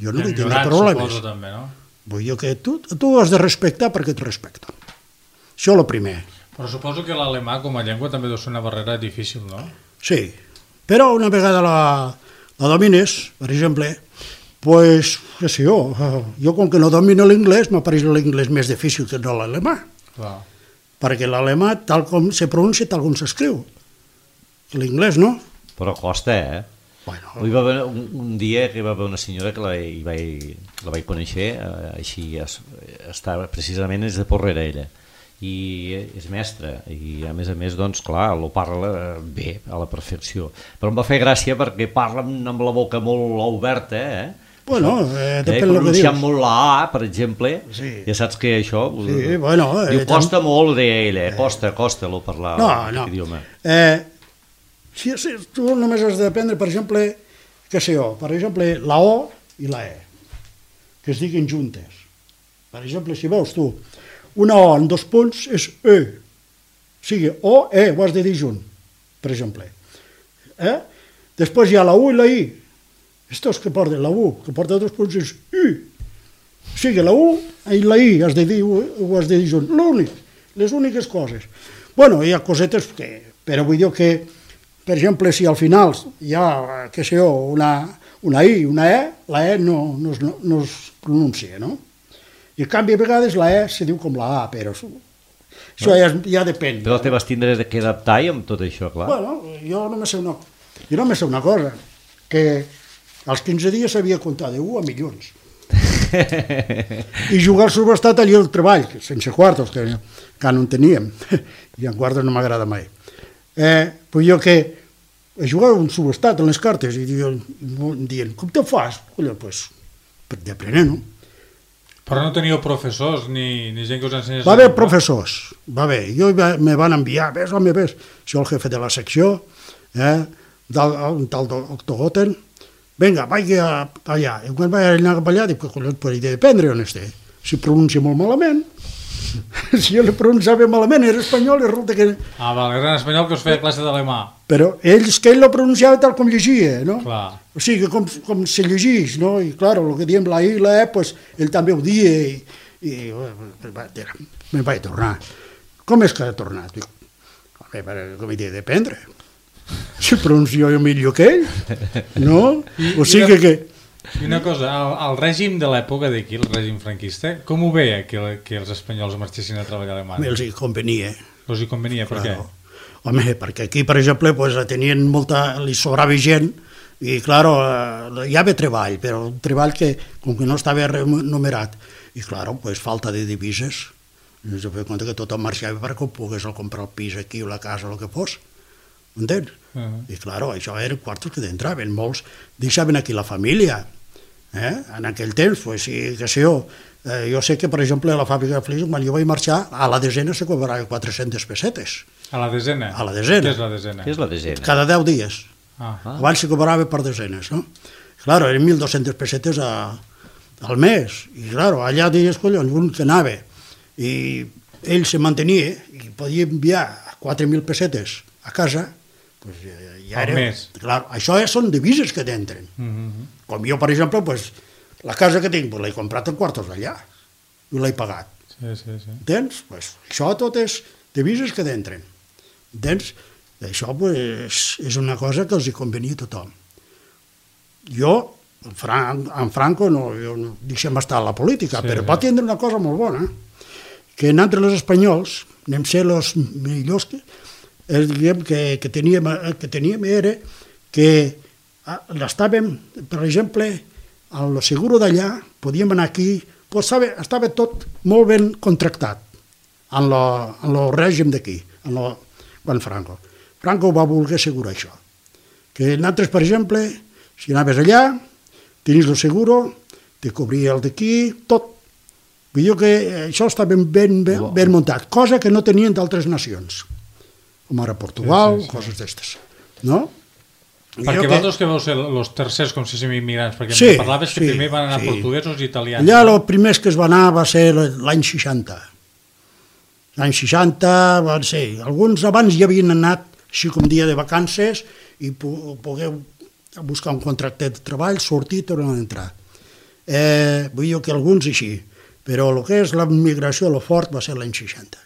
jo no vull tenir problemes. Suposo, també, no? Vull dir que tu, tu has de respectar perquè et respecten. Això és el primer. Però suposo que l'alemà com a llengua també deu ser una barrera difícil, no? Sí, però una vegada la, la domines, per exemple, pues, què sé jo, jo com que no domino l'inglès, m'apareix l'inglès més difícil que no l'alemà. Clar. Perquè l'alemà, tal com se pronuncia, tal com s'escriu. L'inglès, no? Però costa, eh? Bueno, Hi va haver un, un dia que hi va haver una senyora que la, hi vaig, la vaig conèixer, eh, així, es, estava, precisament és de Porrera ella, i és mestra, i a més a més, doncs, clar, lo parla bé, a la perfecció. Però em va fer gràcia perquè parla amb la boca molt oberta, eh? bueno, eh, Eh, depèn del que pronunciant dius. molt la A, per exemple, Sí. ja saps que això... Sí, bueno, eh, diu, costa molt, deia ella, eh? costa, costa, lo parlar No, aquest no. idioma. Eh, si, si tu només has d'aprendre, per exemple, què sé jo, per exemple, la O i la E, que es diguin juntes. Per exemple, si veus tu, una O en dos punts és E, o sigui, O, E, ho has de dir junt, per exemple. Eh? Després hi ha la U i la I. Estos que porten la U, que porta dos punts és I. O sigui, la U i la I has de dir, ho has de dir junt. L'únic, les úniques coses. Bueno, hi ha cosetes que... Però vull dir que, per exemple, si al final hi ha, què sé jo, una, una I, una E, la E no, no, es, no es pronuncia, no? I en canvi, a vegades la E se diu com la A, però això ja, ja depèn. Però te vas tindre que adaptar i amb tot això, clar. Bueno, jo només sé una, jo només sé una cosa, que als quinze dies sabia comptar de u a milions. I jugar al subestat allà al treball, sense quartos, que, que no en teníem, i en quartos no m'agrada mai. Eh, pues jo que jugava un subestat en les cartes i diuen, dient, com te fas? Collons, pues, per d'aprendre, no? Però no teníeu professors ni, ni gent que us ensenyés... Va haver professors, va haver, jo me van enviar, ves, home, ves, això el jefe de la secció, eh, del, un tal doctor Goten, vinga, vaig allà, i quan vaig anar allà, dic, collons, per dependre on esté, si pronuncia molt malament, si jo li pronunciava malament, era espanyol, i resulta que... Ah, val, era en espanyol que us feia classe d'alemà. Però ells, que ell lo pronunciava tal com llegia, no? Clar. O sigui, com, com se llegeix, no? I, clar, el que diem la I i la E, pues, ell també ho dia i, i me'n vaig tornar. Com és que ha tornat? Dic, home, com he dit, dependre. Si pronuncio jo millor que ell, no? I, o sigui i, que... I una cosa, el, el règim de l'època d'aquí, el règim franquista, com ho veia que, que els espanyols marxessin a treballar a Alemanya? Els hi convenia. Us hi convenia, per Claro. què? Home, perquè aquí, per exemple, pues, tenien molta... li sobrava gent i, claro, eh, hi havia treball, però un treball que, com que no estava remunerat, i, claro, pues, falta de divises. I ens vam compte que tothom marxava perquè ho pogués comprar el pis aquí o la casa o el que fos. Entens? Uh -huh. I, claro, això eren quartos que entraven. Molts deixaven aquí la família. Eh? En aquell temps, pues, sí, que sé jo, eh, jo sé que, per exemple, a la fàbrica de Flix, quan jo vaig marxar, a la desena se cobrava quatre-centes pessetes. A la desena? A la desena. Què és la desena? Què és la desena? Cada deu dies. Ah. Ah. Abans se cobrava per desenes, no? Claro, eren mil dos-centes pessetes a, al mes. I, claro, allà dies, collons, un que anava i ell se mantenia i podia enviar quatre mil pessetes a casa, pues, ja, ja Al era... mes. Clar, això ja són divises que t'entren. Mm -hmm. Com jo, per exemple, pues, la casa que tinc, pues, l'he comprat en quartos d'allà i l'he pagat. Sí, sí, sí. Entens? Pues, això tot és divises que t'entren. Entens? Això pues, és una cosa que els hi convenia a tothom. Jo, en, Fran en Franco, no, jo no deixem estar a la política, Sí, però sí. pot tindre una cosa molt bona, que nosaltres els espanyols anem ser els millors que, eh, diguem, que, que, teníem, que teníem era que estàvem, per exemple, al seguro d'allà, podíem anar aquí, pues, estava, estava tot molt ben contractat en el règim d'aquí, quan Franco. Franco va voler assegurar això. Que nosaltres, per exemple, si anaves allà, tenies el seguro, te cobria el d'aquí, tot. Vull dir que això està ben, ben, ben, ben muntat, cosa que no tenien d'altres nacions, com ara Portugal, sí, sí, sí. coses d'estes, no? Perquè vosaltres que vau ser els tercers, com si fossin immigrants, perquè sí, em parlaves que sí, primer van anar sí. portuguesos i italians. Allà el primer que es va anar va ser l'any seixanta. L'any seixanta van ser, alguns abans ja havien anat així com dia de vacances i pogueu buscar un contracte de treball, sortir i tornar a entrar. Eh, vull dir que alguns així, però el que és la migració a lo fort va ser l'any seixanta.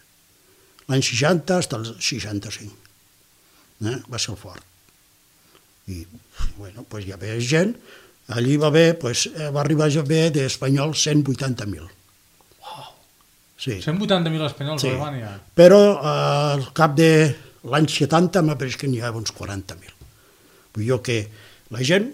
L'any seixanta fins al seixanta-cinc. Eh? Va ser el fort. I, bueno, pues hi havia gent, allí va haver, pues, va arribar a haver d'espanyols cent vuitanta mil. Uau! Sí. cent vuitanta mil espanyols Sí. a Alemanya. Però eh, al cap de l'any setanta m'ha pareix que n'hi havia uns quaranta mil. Vull dir que la gent...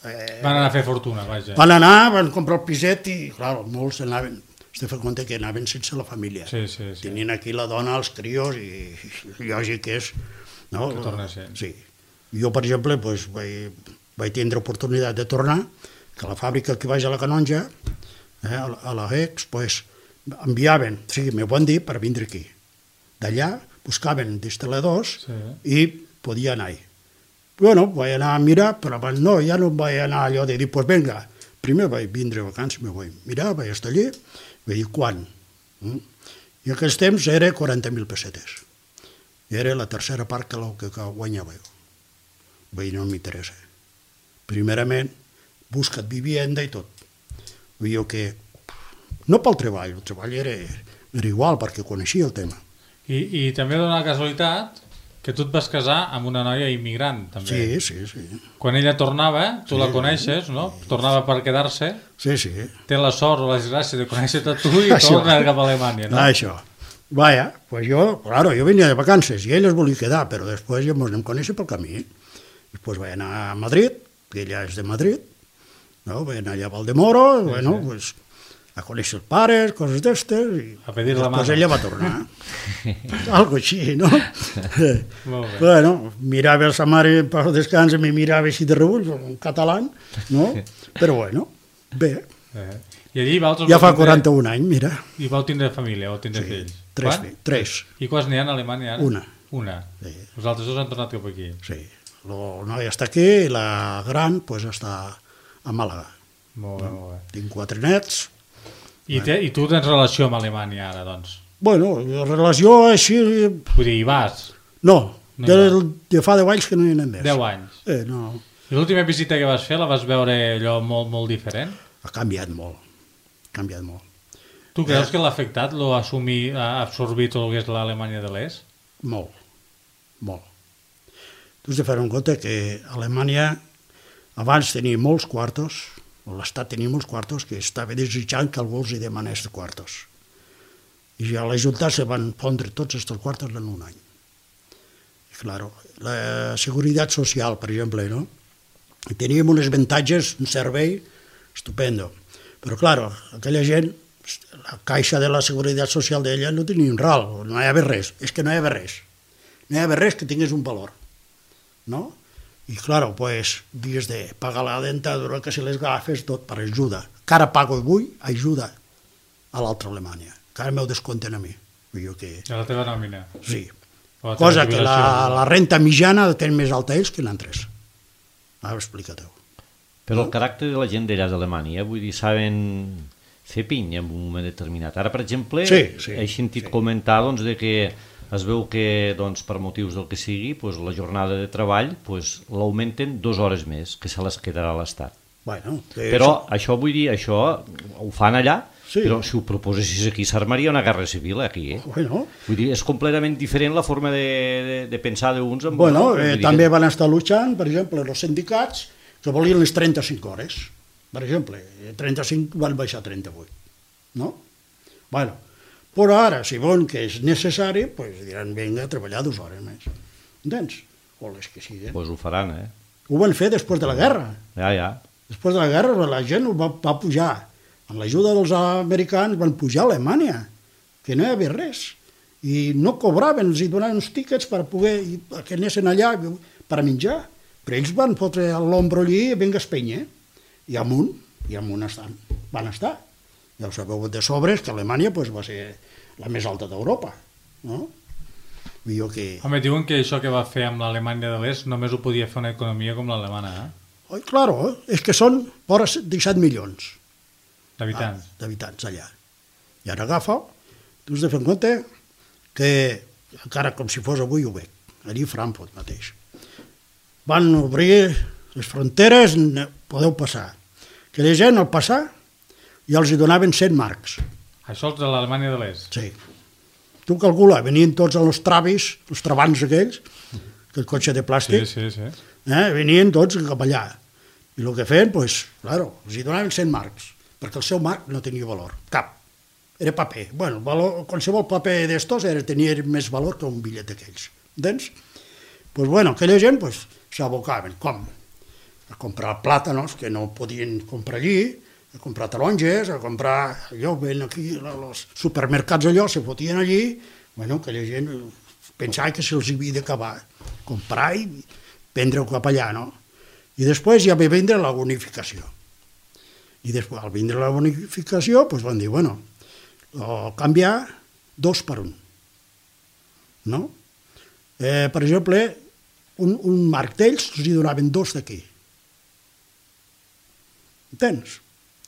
Eh, Van anar a fer fortuna, vaja. van anar, van comprar el piset i, clar, molts anaven... Has de fer compte que anaven sense la família. Sí, sí, sí. Tenien aquí la dona, els crios, i, i lògic que és... No? Que tornessin. Sí. Jo, per exemple, pues, vaig, vaig tindre oportunitat de tornar, que a la fàbrica que vaig a la Canonja, eh, a la- a la Hex, pues, enviaven, o sigui, m'ho van dir per vindre aquí. D'allà buscaven instal·ladors Sí. i podia anar-hi. Bueno, vaig anar a mirar, però abans no, ja no vaig anar allò de dir, pues vinga, primer vaig vindre a vacances, me vaig mirar, vaig estar allí, vaig dir, quan? Mm? I en aquells temps era quaranta mil pessetes. I era la tercera part que, que, que guanyava jo. Vaig dir, no m'interessa. Primerament, busca't vivienda i tot. Vull dir que, no pel treball, el treball era, era igual, perquè coneixia el tema. I, i també dona la casualitat que tu et vas casar amb una noia immigrant, també. Sí, sí, sí. Quan ella tornava, tu Sí. la coneixes, no? Tornava per quedar-se, Sí, sí. té la sort o la desgràcia de conèixer-te tu i Això. torna cap a Alemanya, no? Això. Vaya, pues yo, claro, yo venía de vacances y ellos volví quedar, pero después ya nos conèixer pel camí. Después vaig anar a Madrid, que ella és de Madrid, no? Vaig anar allà a Valdemoro, sí, bueno, sí. Pues, a conèixer els pares, coses d'estes, i A pedir la després mano. ella va tornar. Algo així, no? Molt bé. Bueno, mirava sa mare per descans i me mirava així de rebull, en català, no? Però bueno, bé, Eh. I allí vosaltres ja vau fa tindre- quaranta-un anys, mira. I vau tindre família, vau tindre Sí, fills. tres, Quan? fi- tres, I quants n'hi ha a Alemanya ara? Una. Una. Sí. Els altres dos han tornat cap aquí. sí. El noi està aquí i la gran pues, està a Màlaga. Molt bé, molt bé. Tinc quatre nets. I, te, I tu tens relació amb Alemanya ara, doncs? Bueno, la relació així... Vull dir, hi vas? No, No hi de, de fa deu anys que no hi anem més. Deu anys. Eh, no, I l'última visita que vas fer la vas veure allò molt, molt diferent? ha canviat molt. Ha canviat molt. Tu creus que l'ha afectat, l'ha assumit, ha absorbit tot el que és l'Alemanya de l'Est? Molt, molt. Tu has de fer en compte que Alemanya abans tenia molts quartos, l'Estat tenia molts quartos, que estava desitjant que algú els hi demanés de quartos. I a la Junta se van pondre tots aquests quartos en un any. I, claro, la seguretat social, per exemple, no? I teníem uns avantatges, un servei estupendo. Però, claro, aquella gent, la caixa de la seguretat social d'ella no tenia un ral, no hi havia res. És que no hi havia res. No hi havia res que tingués un valor. ¿No? Y claro, pues, dies de pagar la dentadura, que se les agafes tot per ajuda. Que ara pago avui, ajuda a l'altra Alemanya. Que ara m'ho descompten a mi. Vull dir que... De la teva nòmina? Sí. O la teva Cosa que la, jubilació? la renta mitjana tenen més alta ells que l'altres. Ara explica-t'ho. Però el caràcter de la gent d'allà d'Alemanya, vull dir, saben fer pinya en un moment determinat. Ara, per exemple, Sí, sí, he sentit sí. comentar doncs, de que es veu que doncs, per motius del que sigui doncs, la jornada de treball doncs, l'augmenten dues hores més, que se les quedarà a l'Estat. Bueno, que Però això vull dir, això ho fan allà, Sí. però si ho proposessis aquí s'armaria una guerra civil aquí. Eh? Bueno, Vull dir, és completament diferent la forma de, de, de pensar d'uns amb bueno altres. eh, Vull dir també que- van estar luchant, per exemple, els sindicats que volien les trenta-cinc hores. Per exemple, trenta-cinc van baixar a trenta-vuit. No? Bueno, però ara, si volen que és necessari, pues diran, vinga, a treballar dues hores més. Entens? O les que siguin. Pues ho faran, eh? Ho van fer després de la guerra. Ja, ja. Després de la guerra la gent ho va, va pujar. Amb l'ajuda dels americans van pujar a Alemanya, que no hi havia res. I no cobraven, els hi donaven uns tíquets per poder, que anessin allà per menjar. Però ells van fotre l'ombro allí i vinga a Espanya. I amunt, i amunt estan. Van estar. Ja ho sabeu de sobres que Alemanya pues, va ser la més alta d'Europa, no? Vull dir que... Home, diuen que això que va fer amb l'Alemanya de l'Est només ho podia fer una economia com l'alemana, eh? Oh, claro, és que són vora disset milions D'habitants. ah, d'habitants allà. I ara agafa, tu has de fer en compte que, encara com si fos avui ho veig, allí a Frankfurt mateix, van obrir les fronteres, podeu passar. Que la gent al passar ja els hi donaven cent marcs. Això és de l'Alemanya de l'Est. Sí. Tu calcula, venien tots els travis, els trabants aquells, que el cotxe de Sí, plàstic, sí, sí. eh? venien tots cap allà. I el que feien, doncs, claro, els hi donaven cent marcs, perquè el seu marc no tenia valor, cap. Era paper. Bueno, valor, qualsevol paper d'estos era, tenia més valor que un bitllet d'aquells. Entens? Doncs, pues, bueno, aquella gent pues, s'abocaven. Com? A comprar plàtanos, que no podien comprar allí, a comprar taronges, a comprar... Allò, ven aquí, els supermercats allò, se fotien allí, bueno, aquella gent pensava que se'ls havia d'acabar. Comprar i vendre-ho cap allà, no? I després ja va vindre la bonificació. I després, al vindre la bonificació, doncs van dir, bueno, canviar dos per un. No? Eh, per exemple, un, un marc d'ells els hi donaven dos d'aquí. Entens?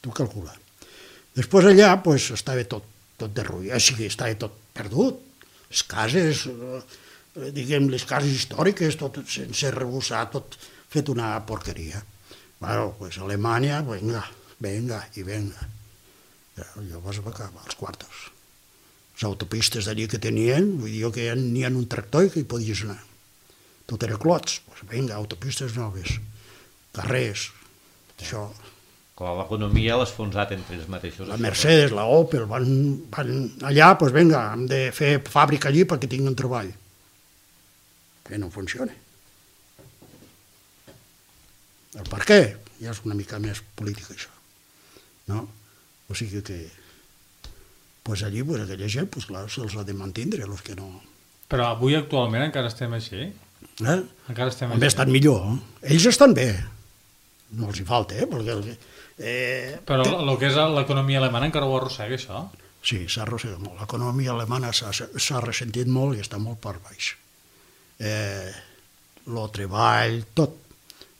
Tu calcula. Després allà, doncs, estava tot, tot derruït, o sigui, estava tot perdut. Les cases, eh, diguem, les cases històriques, tot sense rebussar, tot fet una porqueria. Bueno, pues Alemanya, venga, venga i venga. Llavors va acabar els quartos. Les autopistes d'allí que tenien, vull dir que n'hi ha un tractor i que hi podies anar. Tot era clots, pues venga, autopistes noves, carrers, això. Clar, l'economia l'ha esfonsat entre ells mateixos. La Mercedes, la Opel, van, van allà, doncs vinga, hem de fer fàbrica allí perquè tinguin treball. Que no funciona. El per què? Ja és una mica més política, això. No? O sigui que, doncs allí, doncs aquella gent, doncs clar, se'ls ha de mantindre, els que no... Però avui actualment encara estem així? Eh? Encara estem També així? estan millor. Eh? Ells estan bé. No els hi falta, eh? Perquè... Eh, Però el que és l'economia alemana encara ho arrossega, això? Sí, s'ha arrossegat molt. L'economia alemana s'ha ressentit molt i està molt per baix. Eh, el treball, tot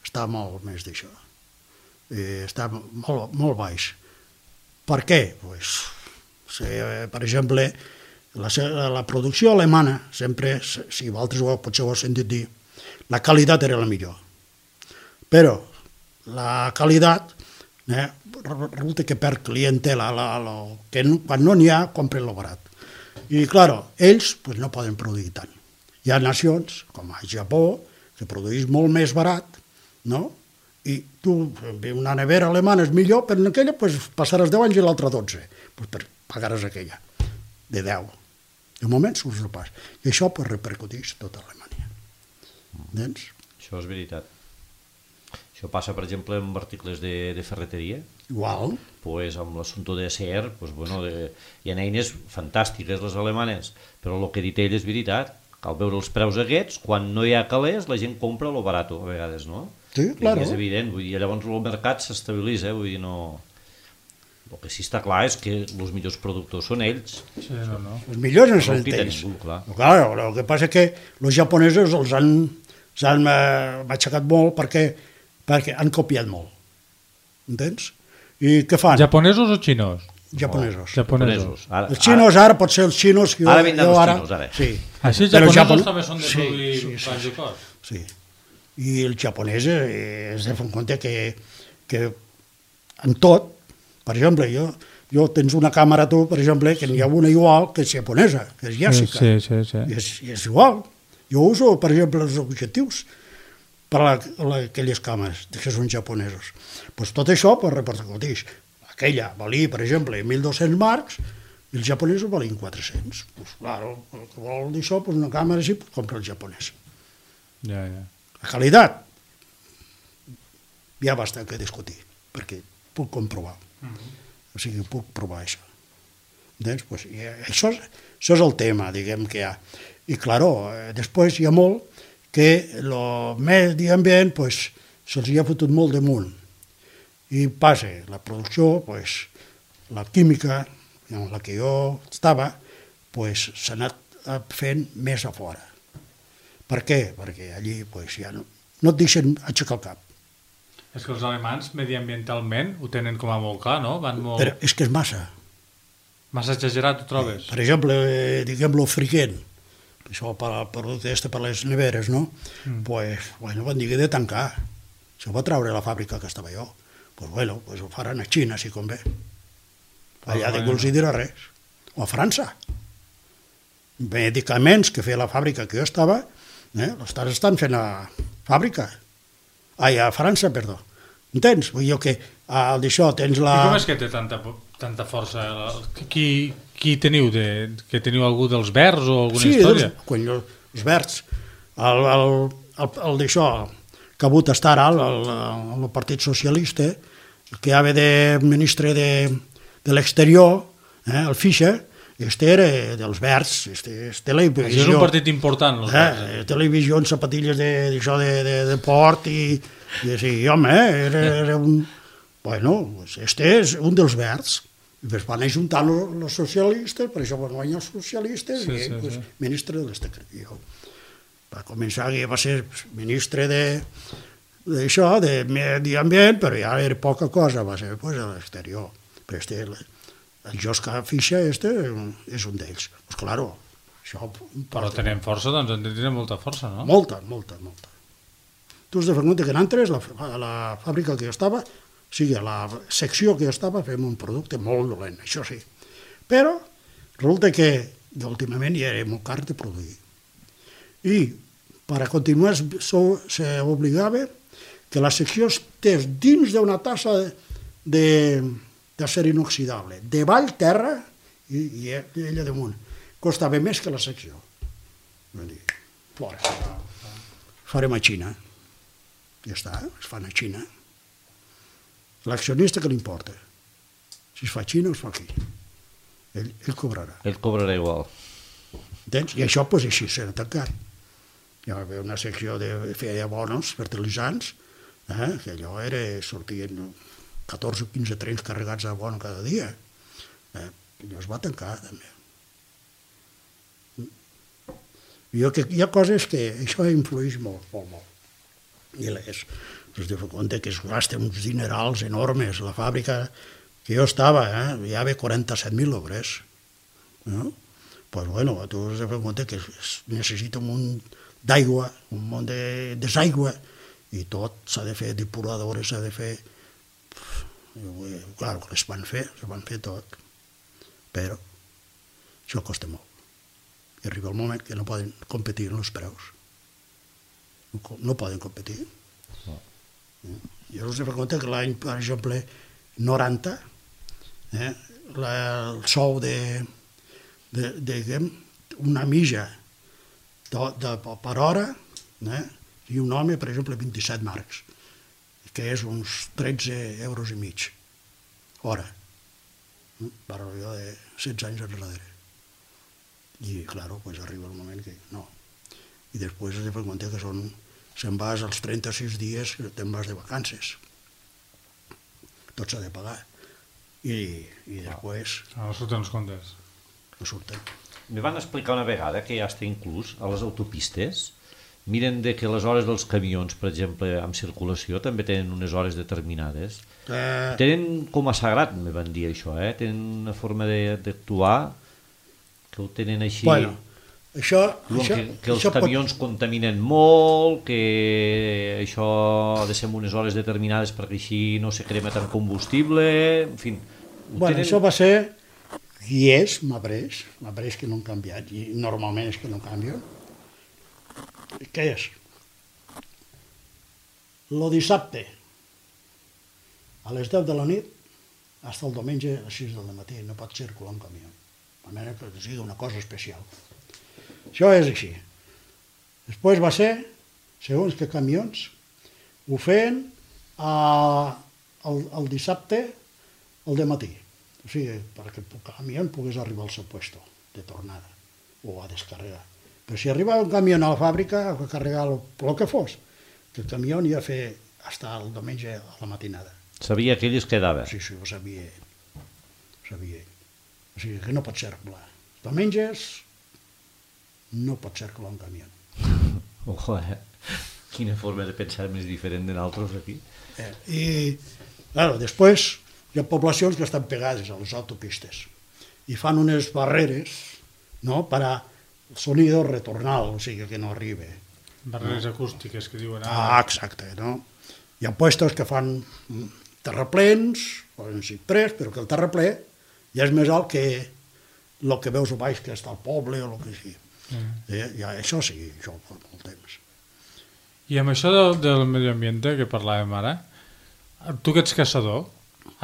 està molt més d'això. Eh, està molt, molt baix. Per què? Pues, si, per exemple, la, la producció alemana, sempre, si vosaltres ho, potser ho heu sentit dir, la qualitat era la millor. Però la qualitat eh, resulta que perd clientela, la, la, que no, quan no n'hi ha, compren lo barat. I, clar, ells pues, no poden produir tant. Hi ha nacions, com el Japó, que produeix molt més barat, no? I tu, una nevera alemana és millor, però en aquella pues, passaràs deu anys i l'altra dotze. Pues, per, pagaràs aquella, de deu. De moment surts el pas. I això pues, repercuteix tota Alemanya. Entens? Això és veritat. Això passa, per exemple, amb articles de, de ferreteria. Igual. Pues, amb l'assumpte de Acer, pues, bueno, de, hi ha eines fantàstiques, les alemanes, però el que ha dit ell és veritat. Cal veure els preus aquests, quan no hi ha calés, la gent compra lo barato, a vegades, no? Sí, claro. I és evident, vull dir, llavors el mercat s'estabilitza, vull dir, no... El que sí està clar és que els millors productors són ells. Sí, no, no. Els millors no No són ho quita ells. ningú, clar. Clar, el que passa és que els japonesos els han, els han eh, aixecat molt perquè, perquè han copiat molt. Entens? I què fan? Japonesos o xinos? Japonesos. Japonesos. Ara, Els xinos ara, pot ser els xinos... Jo, Ara vindran jo els ara, xinos, ara. Sí. Així els Però japonesos japon- també són de sí, produir sí, sí, pans i cos. Sí. I els japonesos eh, es de fer en compte que, que en tot, per exemple, jo, jo tens una càmera tu, per exemple, que n'hi ha una igual que és japonesa, que és Yasica. Sí, sí, sí. I és, i és igual. Jo uso, per exemple, els objectius per a, la, aquelles càmeres que són japonesos. Pues tot això pues, repercuteix. Aquella valia, per exemple, mil dos-cents marcs, i els japonesos valien quatre-cents. Pues, claro, el que vol dir això, pues, una càmera així, pues, compra el japonès. Ja, ja. La qualitat, hi ha bastant que discutir, perquè puc comprovar. Uh-huh. O sigui, puc provar això. Entens? Pues, i això, és, això és el tema, diguem, que hi ha. I, claro, eh, després hi ha molt que el medi ambient pues, se'ls hi ha fotut molt damunt. I passa, la producció, pues, la química en la que jo estava pues, s'ha anat fent més a fora. Per què? Perquè allí pues, ja no, no et deixen aixecar el cap. És que els alemans, mediambientalment, ho tenen com a molt clar, no? Van molt... Però és que és massa. Massa exagerat, ho trobes? Per exemple, eh, diguem-lo friquent, això per al producte este per les neveres, no? Mm. Pues, bueno, van dir que de tancar. Se va treure la fàbrica que estava jo. Pues bueno, pues ho faran a Xina, si convé. Allà de que els hi dirà res. O a França. Medicaments que feia la fàbrica que jo estava, eh, l'estan estan fent a fàbrica. Ai, a França, perdó. Entens? Vull dir que al d'això tens la... I com és que té tanta, tanta força? Qui, qui teniu? De, que teniu algú dels verds o alguna sí, història? Sí, quan jo, els verds. El, el, el, el d'això, que ha hagut estar ara, el, el, el Partit Socialista, que ha de ministre de, de l'exterior, eh, el Fischer, este era dels verds, este és televisió... Això és un partit important, els verds. Eh, televisió en sapatilles d'això de, de, de, de port i, i sí, home, era, era un... Bueno, este és un dels verds. I després van ajuntar els socialistes, per això van guanyar els socialistes, sí, i sí, pues, sí. ministre de l'exterior. Va començar que va ser ministre de d'això, de medi ambient, però ja era poca cosa, va ser pues, a l'exterior. Però este... El Joschka Fischer este és un d'ells. Pues claro, això... Però tenen força, doncs en tenen molta força, no? Molta, molta, molta. Tu has de fer compte que en Antres, la, la fàbrica que jo estava, o sigui, la secció que jo estava, fem un producte molt dolent, això sí. Però resulta que últimament ja era molt car de produir. I per a continuar s'obligava que la secció estés dins d'una tassa de... d'acer inoxidable, de vall terra i, i ella damunt. Costava més que la secció. Vull dir, fora. Farem a Xina. Ja està, es fan a Xina. L'accionista que li importa? Si es fa a Xina o es fa aquí. Ell, ell cobrarà. Ell cobrarà igual. Entens? I això, doncs, així s'ha tancat. Hi va haver una secció de feia bonos, fertilitzants, eh? Que allò era, sortien catorze o quinze trens carregats de bono cada dia. Eh, allò es va tancar, també. Jo que hi ha coses que això influeix molt, molt, molt. I les, us de fer compte que es gasten uns dinerals enormes. La fàbrica que jo estava, eh, hi havia quaranta-set mil obres. No? Pues bueno, tu has de fer compte que es necessita un munt d'aigua, un munt de desaigua, i tot s'ha de fer depuradores, s'ha de fer... Clar, que les van fer, les van fer tot, però això costa molt. I arriba el moment que no poden competir en els preus. No, no poden competir. No. Jo us he fet compte que l'any, per exemple, noranta, eh, la, el sou de, de, de, de una mitja de, de, per hora, eh, i un home, per exemple, vint-i-set marcs, que és uns tretze euros i mig, hora, per allò de setze anys enrere. I, clar, pues, arriba el moment que no. I després has de fer compte que són, se'n vas als trenta-sis dies que te'n vas de vacances. Tot s'ha de pagar. I, i després... No surten els comptes. No surten. Me van explicar una vegada que ja està inclús a les autopistes. Miren de que les hores dels camions, per exemple, amb circulació, també tenen unes hores determinades. Eh... Tenen com a sagrat, me van dir això, eh? Tenen una forma d'actuar que ho tenen així... Bueno, això... això que, que els això camions pot... contaminen molt, que això ha de ser en unes hores determinades perquè així no se crema tant combustible, en fi... Bueno, tenen... això va ser... I és, m'ha pres, m'ha pres que no han canviat, i normalment és que no canvien. Què és? Lo dissabte, a les deu de la nit, fins el diumenge a les sis del matí, no pot circular un camió. A menys que sigui una cosa especial. Això és així. Després va ser, segons que camions, ho feien a, el, el dissabte al dematí. O sigui, perquè el camió pogués arribar al seu puesto de tornada o a descarregar. Però si arribava un camió a la fàbrica a carregar el, el que fos, que el camió hi ha fer fins el diumenge a la matinada. Sabia que ell es quedava. Sí, sí, ho sabia. sabia ell. O sigui que no pot circular. Tu menges, no pot circular un camió. Ojo, eh? Quina forma de pensar més diferent de nosaltres aquí. Eh, I, claro, després hi ha poblacions que estan pegades a les autopistes i fan unes barreres, no?, per a el sonido retornal, o sigui, que no arribi. Barreres acústiques que diuen... Ah, exacte, no? Hi ha puestos que fan mm, terraplens, poden ser pres, però que el terraplè ja és més alt que el que veus a baix, que està al poble o el que sigui. Mm. Eh, ja, això sí, això fa molt temps. I amb això del, del medi ambient que parlàvem ara, tu que ets caçador,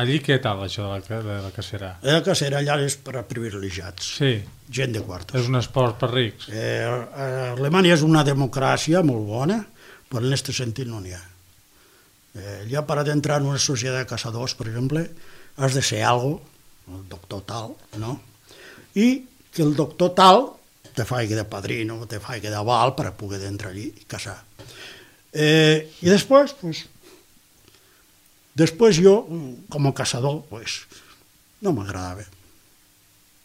allí què tal això de la, de la cacera? La cacera allà és per a privilegiats, Sí, gent de quartos. és un esport per rics. Eh, Alemanya és una democràcia molt bona, però en aquest sentit no n'hi ha. Eh, ja per entrar en una societat de caçadors, per exemple, has de ser algo, el doctor tal, no? I que el doctor tal te faci de padrino, te faci d'aval per a poder entrar allí i caçar. Eh, I després, pues, després jo, com a caçador, pues, no m'agradava.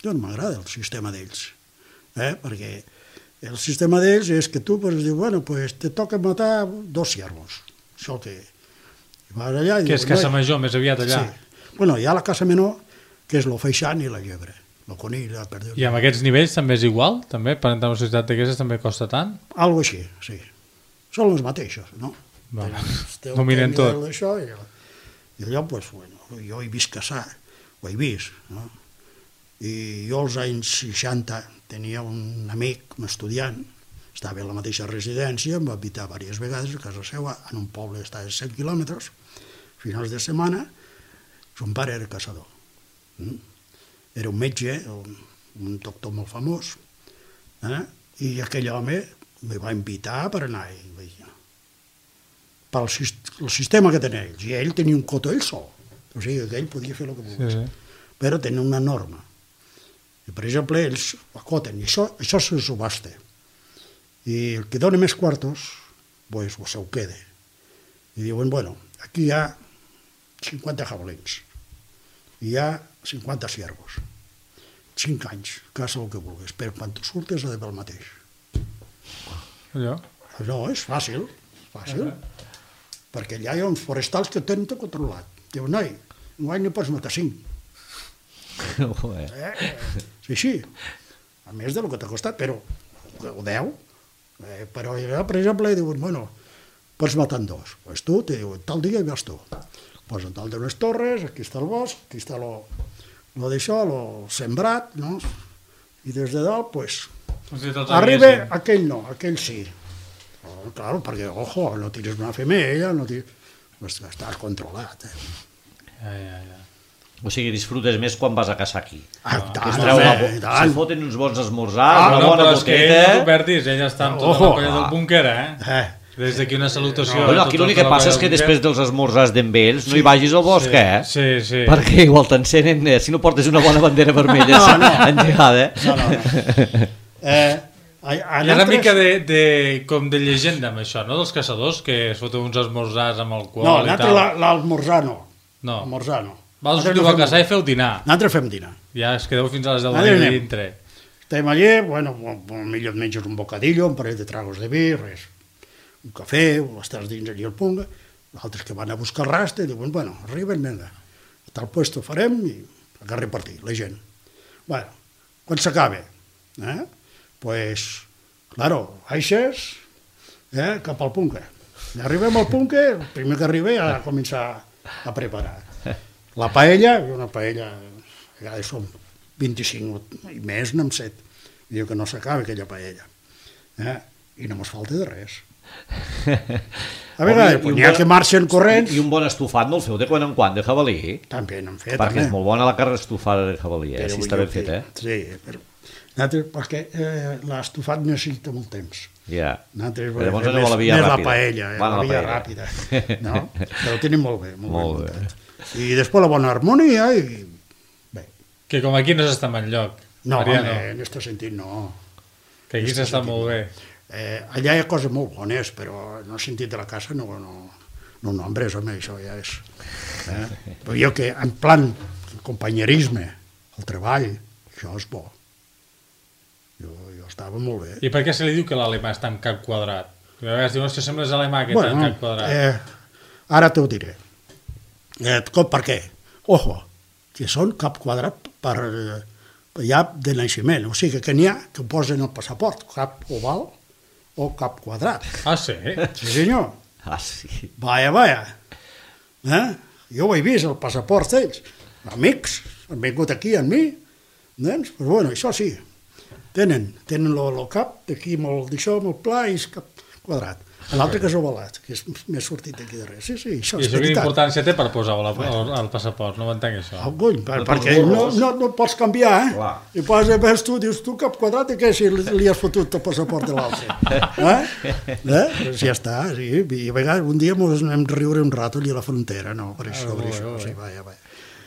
Jo no m'agrada el sistema d'ells, eh? Perquè el sistema d'ells és que tu pues, dius, bueno, pues, te toca matar dos ciervos. Això que... I vas allà i Que dius, és caça "No, major, més aviat allà. sí." Bueno, hi ha la caça menor, que és el feixan i la llebre, el conill, la perdiu. I amb aquests nivells també és igual? També? Per entrar en una societat d'aquestes també costa tant? Algo així, sí. Són els mateixos, no? Vale. Tenen- Dominen tenen tot. Això, i, I allò, pues, bueno, jo he vist caçar, ho he vist, no? I jo als anys seixanta tenia un amic, un estudiant, estava a la mateixa residència, em va invitar diverses vegades a casa seva, en un poble que estava a cent quilòmetres, finals de setmana, son pare era caçador. Mm? Era un metge, un, un doctor molt famós, eh? I aquell home me va invitar per anar i vaig dir, pel sis- el sistema que tenia ells, i ell tenia un cotó ell sol, o sigui que ell podia fer el que volgués, Sí, sí. però tenia una norma. I, per exemple, ells acoten, i això, això se subhasta. I el que dona més quartos, pues, se ho queda. I diuen, bueno, aquí hi ha cinquanta jabalins, i hi ha cinquanta ciervos, cinc anys, caça el que vulguis, però quan tu surtes ha de fer el mateix. Allò. No, és fàcil, fàcil, perquè allà hi ha uns forestals que tenen tot controlat. Diu, noi, enguany no pots matar cinc. Ojo, eh? Eh? Sí, sí, a més del que t'ha costat, però o deu. Eh, però, ja, per exemple, diuen, bueno, pots matar en dos. Pues tu, te diuen, tal dia hi vas tu. Posen tal d'unes torres, aquí està el bosc, aquí està lo, lo d'això, lo sembrat, no? I des de dalt, pues, arriba aquell no, aquell sí. Oh, claro, perquè, ojo, no tires una femella, no tires... Pues estàs controlat, eh? Ja, ja, ja. O sigui, disfrutes més quan vas a caçar aquí. Ah, Que tant, es treu una... home, i tant. Se foten uns bons esmorzars, Ah, una no, bona però és que ell no boqueta... t'ho perdis, ell està amb tota Ojo. la colla del búnquer, eh? Eh, Des d'aquí una salutació. Bueno, a aquí tota l'únic que la passa colla és que del després dels esmorzars d'en ells no hi vagis al bosc, sí, eh? Sí, sí. Perquè igual t'encenen, eh? Si no portes una bona bandera vermella No, no. engegada, eh? no, no, no. Eh, a, a Hi ha una nosaltres- mica de, de, com de llegenda amb això, no? Dels caçadors, que es foten uns esmorzars amb alcohol No, i nosaltres tal. la- l'almorzar no. No. Almorzar no. Vols Nosaltres sortir no a fem- caçar i feu dinar. Nosaltres fem dinar. Ja es quedeu fins a les deu de Nosaltres la nit anem. dintre. Estem allí, bueno, millor et menges un bocadillo, un parell de tragos de vi, res. Un cafè, o estàs dins allí al punga, altres que van a buscar raste, diuen, bueno, arriben, vinga, a tal puesto farem i a repartir, la gent. Bueno, quan s'acaba, eh? Pues, claro, baixes, eh, cap al punca. I arribem al punca, el primer que arriba ja a començar a preparar. La paella, una paella, a vegades som vint-i-cinc i més, n'hem set. Diu que no s'acaba aquella paella. Eh? I no mos falta de res. A vegades, I un pues, n'hi ha bon- que marxen corrents, I un bon estofat no el feu de quan en quan, de jabalí? també n'hem fet. Perquè també. és molt bona la carn estofada de jabalí, eh? Però Si vull està dir ben fet, que- eh? Sí, però... Nosaltres, perquè eh, l'estofat necessita molt temps. Ja. Nosaltres Però llavors fem aneu a la més- via més ràpida. la paella, eh, Van a la la via paella. ràpida. No? Però ho tenim molt bé, molt, Molt bé. bé. muntat. I després la bona harmonia i... Bé, Que com aquí no s'està en enlloc. no, Mariano, home, en aquest sentit no. que aquí s'està molt bé. Eh, allà hi ha coses molt bones, però en el sentit de la casa no, no, no nombres, home, això ja és... Eh? Però jo que en plan companyerisme, el treball, això és bo. Jo, jo estava molt bé. I per què se li diu que l'alemà està en cap quadrat? A vegades diuen que sembles alemà que està en cap quadrat. Eh, ara t'ho diré. Eh, com, per què? Ojo, que són cap quadrat per, eh, ja de naixement, o sigui que n'hi ha que posen el passaport, cap oval o cap quadrat. Ah, sí? Sí, senyor. Ah, sí. Vaja, vaja. Eh? Jo ho he vist, el passaport d'ells. Amics, han vingut aquí amb mi, doncs, però bueno, això sí, tenen, tenen el cap d'aquí molt d'això, molt pla i és cap quadrat. L'altre que és ovalat, que és més sortit d'aquí darrere. Sí, sí, això I és això quina veritat. importància té per posar el, el, el passaport? No ho entenc, això. Ah, cony, per, perquè no, no, no pots canviar, eh? Clar. I poses, ves tu, dius tu cap quadrat i què si li, li has fotut el passaport de l'altre? Eh? eh? Doncs ja està, sí. I a vegades un dia ens anem a riure un rato allà a la frontera, no? Per això, per això. Sí, vaja, vaja.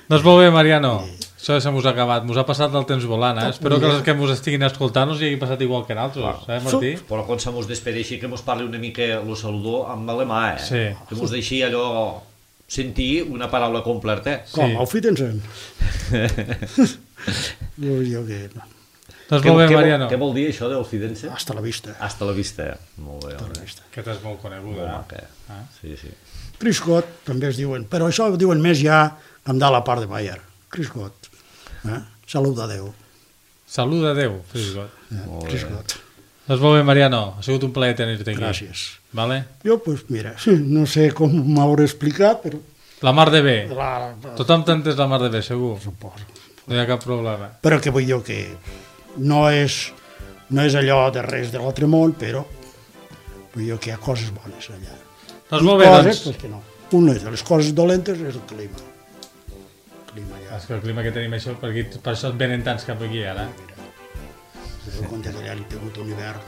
Doncs molt bé, Mariano. Això se m'us ha acabat. Mos ha passat el temps volant, eh? Espero que els que mos estiguin escoltant us hi hagi passat igual que nosaltres, eh, Martí? Però quan se mos despedeixi que mos parli una mica lo saludó amb alemà, eh? Sí. Que mos deixi allò sentir una paraula completa. Com, Sí. auf Wiedersehen. Jo, jo que... Doncs molt bé, què, Mariano. Què vol dir això d'Ofidense? Hasta la vista. Hasta la vista. Molt bé, home. Aquesta és molt coneguda. Molt eh? maca. Ah. Sí, sí. Criscot, també es diuen, però això ho diuen més ja amb de la part de Bayer. Criscot. Eh? Salut a Déu. Salut a Déu, Frisgot. Eh? Molt bé. Criscot. Doncs molt bé, Mariano. Ha sigut un plaer tenir-te aquí. Gràcies. Vale? Jo, doncs, mira, no sé com m'hauré explicat, però... La mar de bé. La, Tothom t'ha entès la mar de bé, segur. suposo. No hi ha cap problema. Però que vull dir que no és, no és allò de res de l'altre món, però vull dir que hi ha coses bones allà. Doncs molt bé, coses, doncs. pues, que no. Una de les coses dolentes és el clima. El clima ja... És que el clima que tenim això, per, aquí, per això et venen tants cap aquí, ara. Si te compte que allà hem tingut un hivern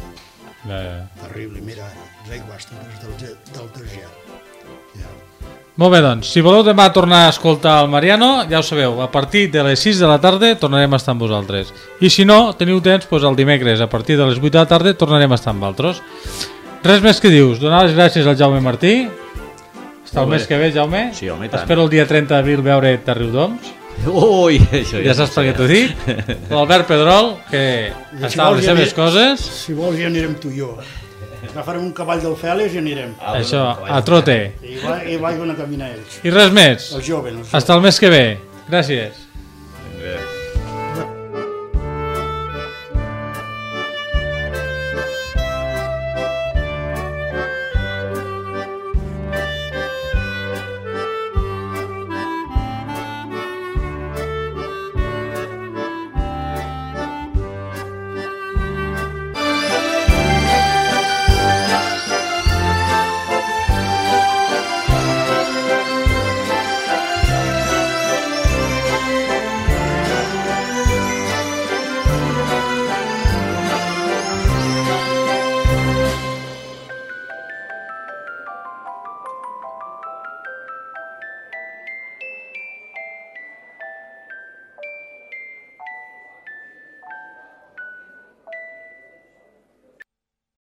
Ja, ja. terrible, mira, les aigües totes del, ge- del desgel. Ja. Molt bé, doncs, si voleu demà tornar a escoltar el Mariano, ja ho sabeu, a partir de les sis de la tarda tornarem a estar amb vosaltres. I si no, teniu temps, doncs el dimecres, a partir de les vuit de la tarda, tornarem a estar amb altres. Res més que dius, donar les gràcies al Jaume Martí. Hasta el Molt bé. mes que ve, Jaume. Sí, home, i tant. Espero el dia trenta d'abril veure't a Riudoms. Ui, això Ja saps per què t'ho dic. L'Albert Pedrol, que I si està a vols les ja seves anirem- coses. Si vols ja anirem tu i jo. Agafarem un cavall del Fèlix i anirem. Ah, Això, bueno, a trote. I va, i va a caminar ells. I res més. Els joves. Els Hasta el mes que ve. Gràcies.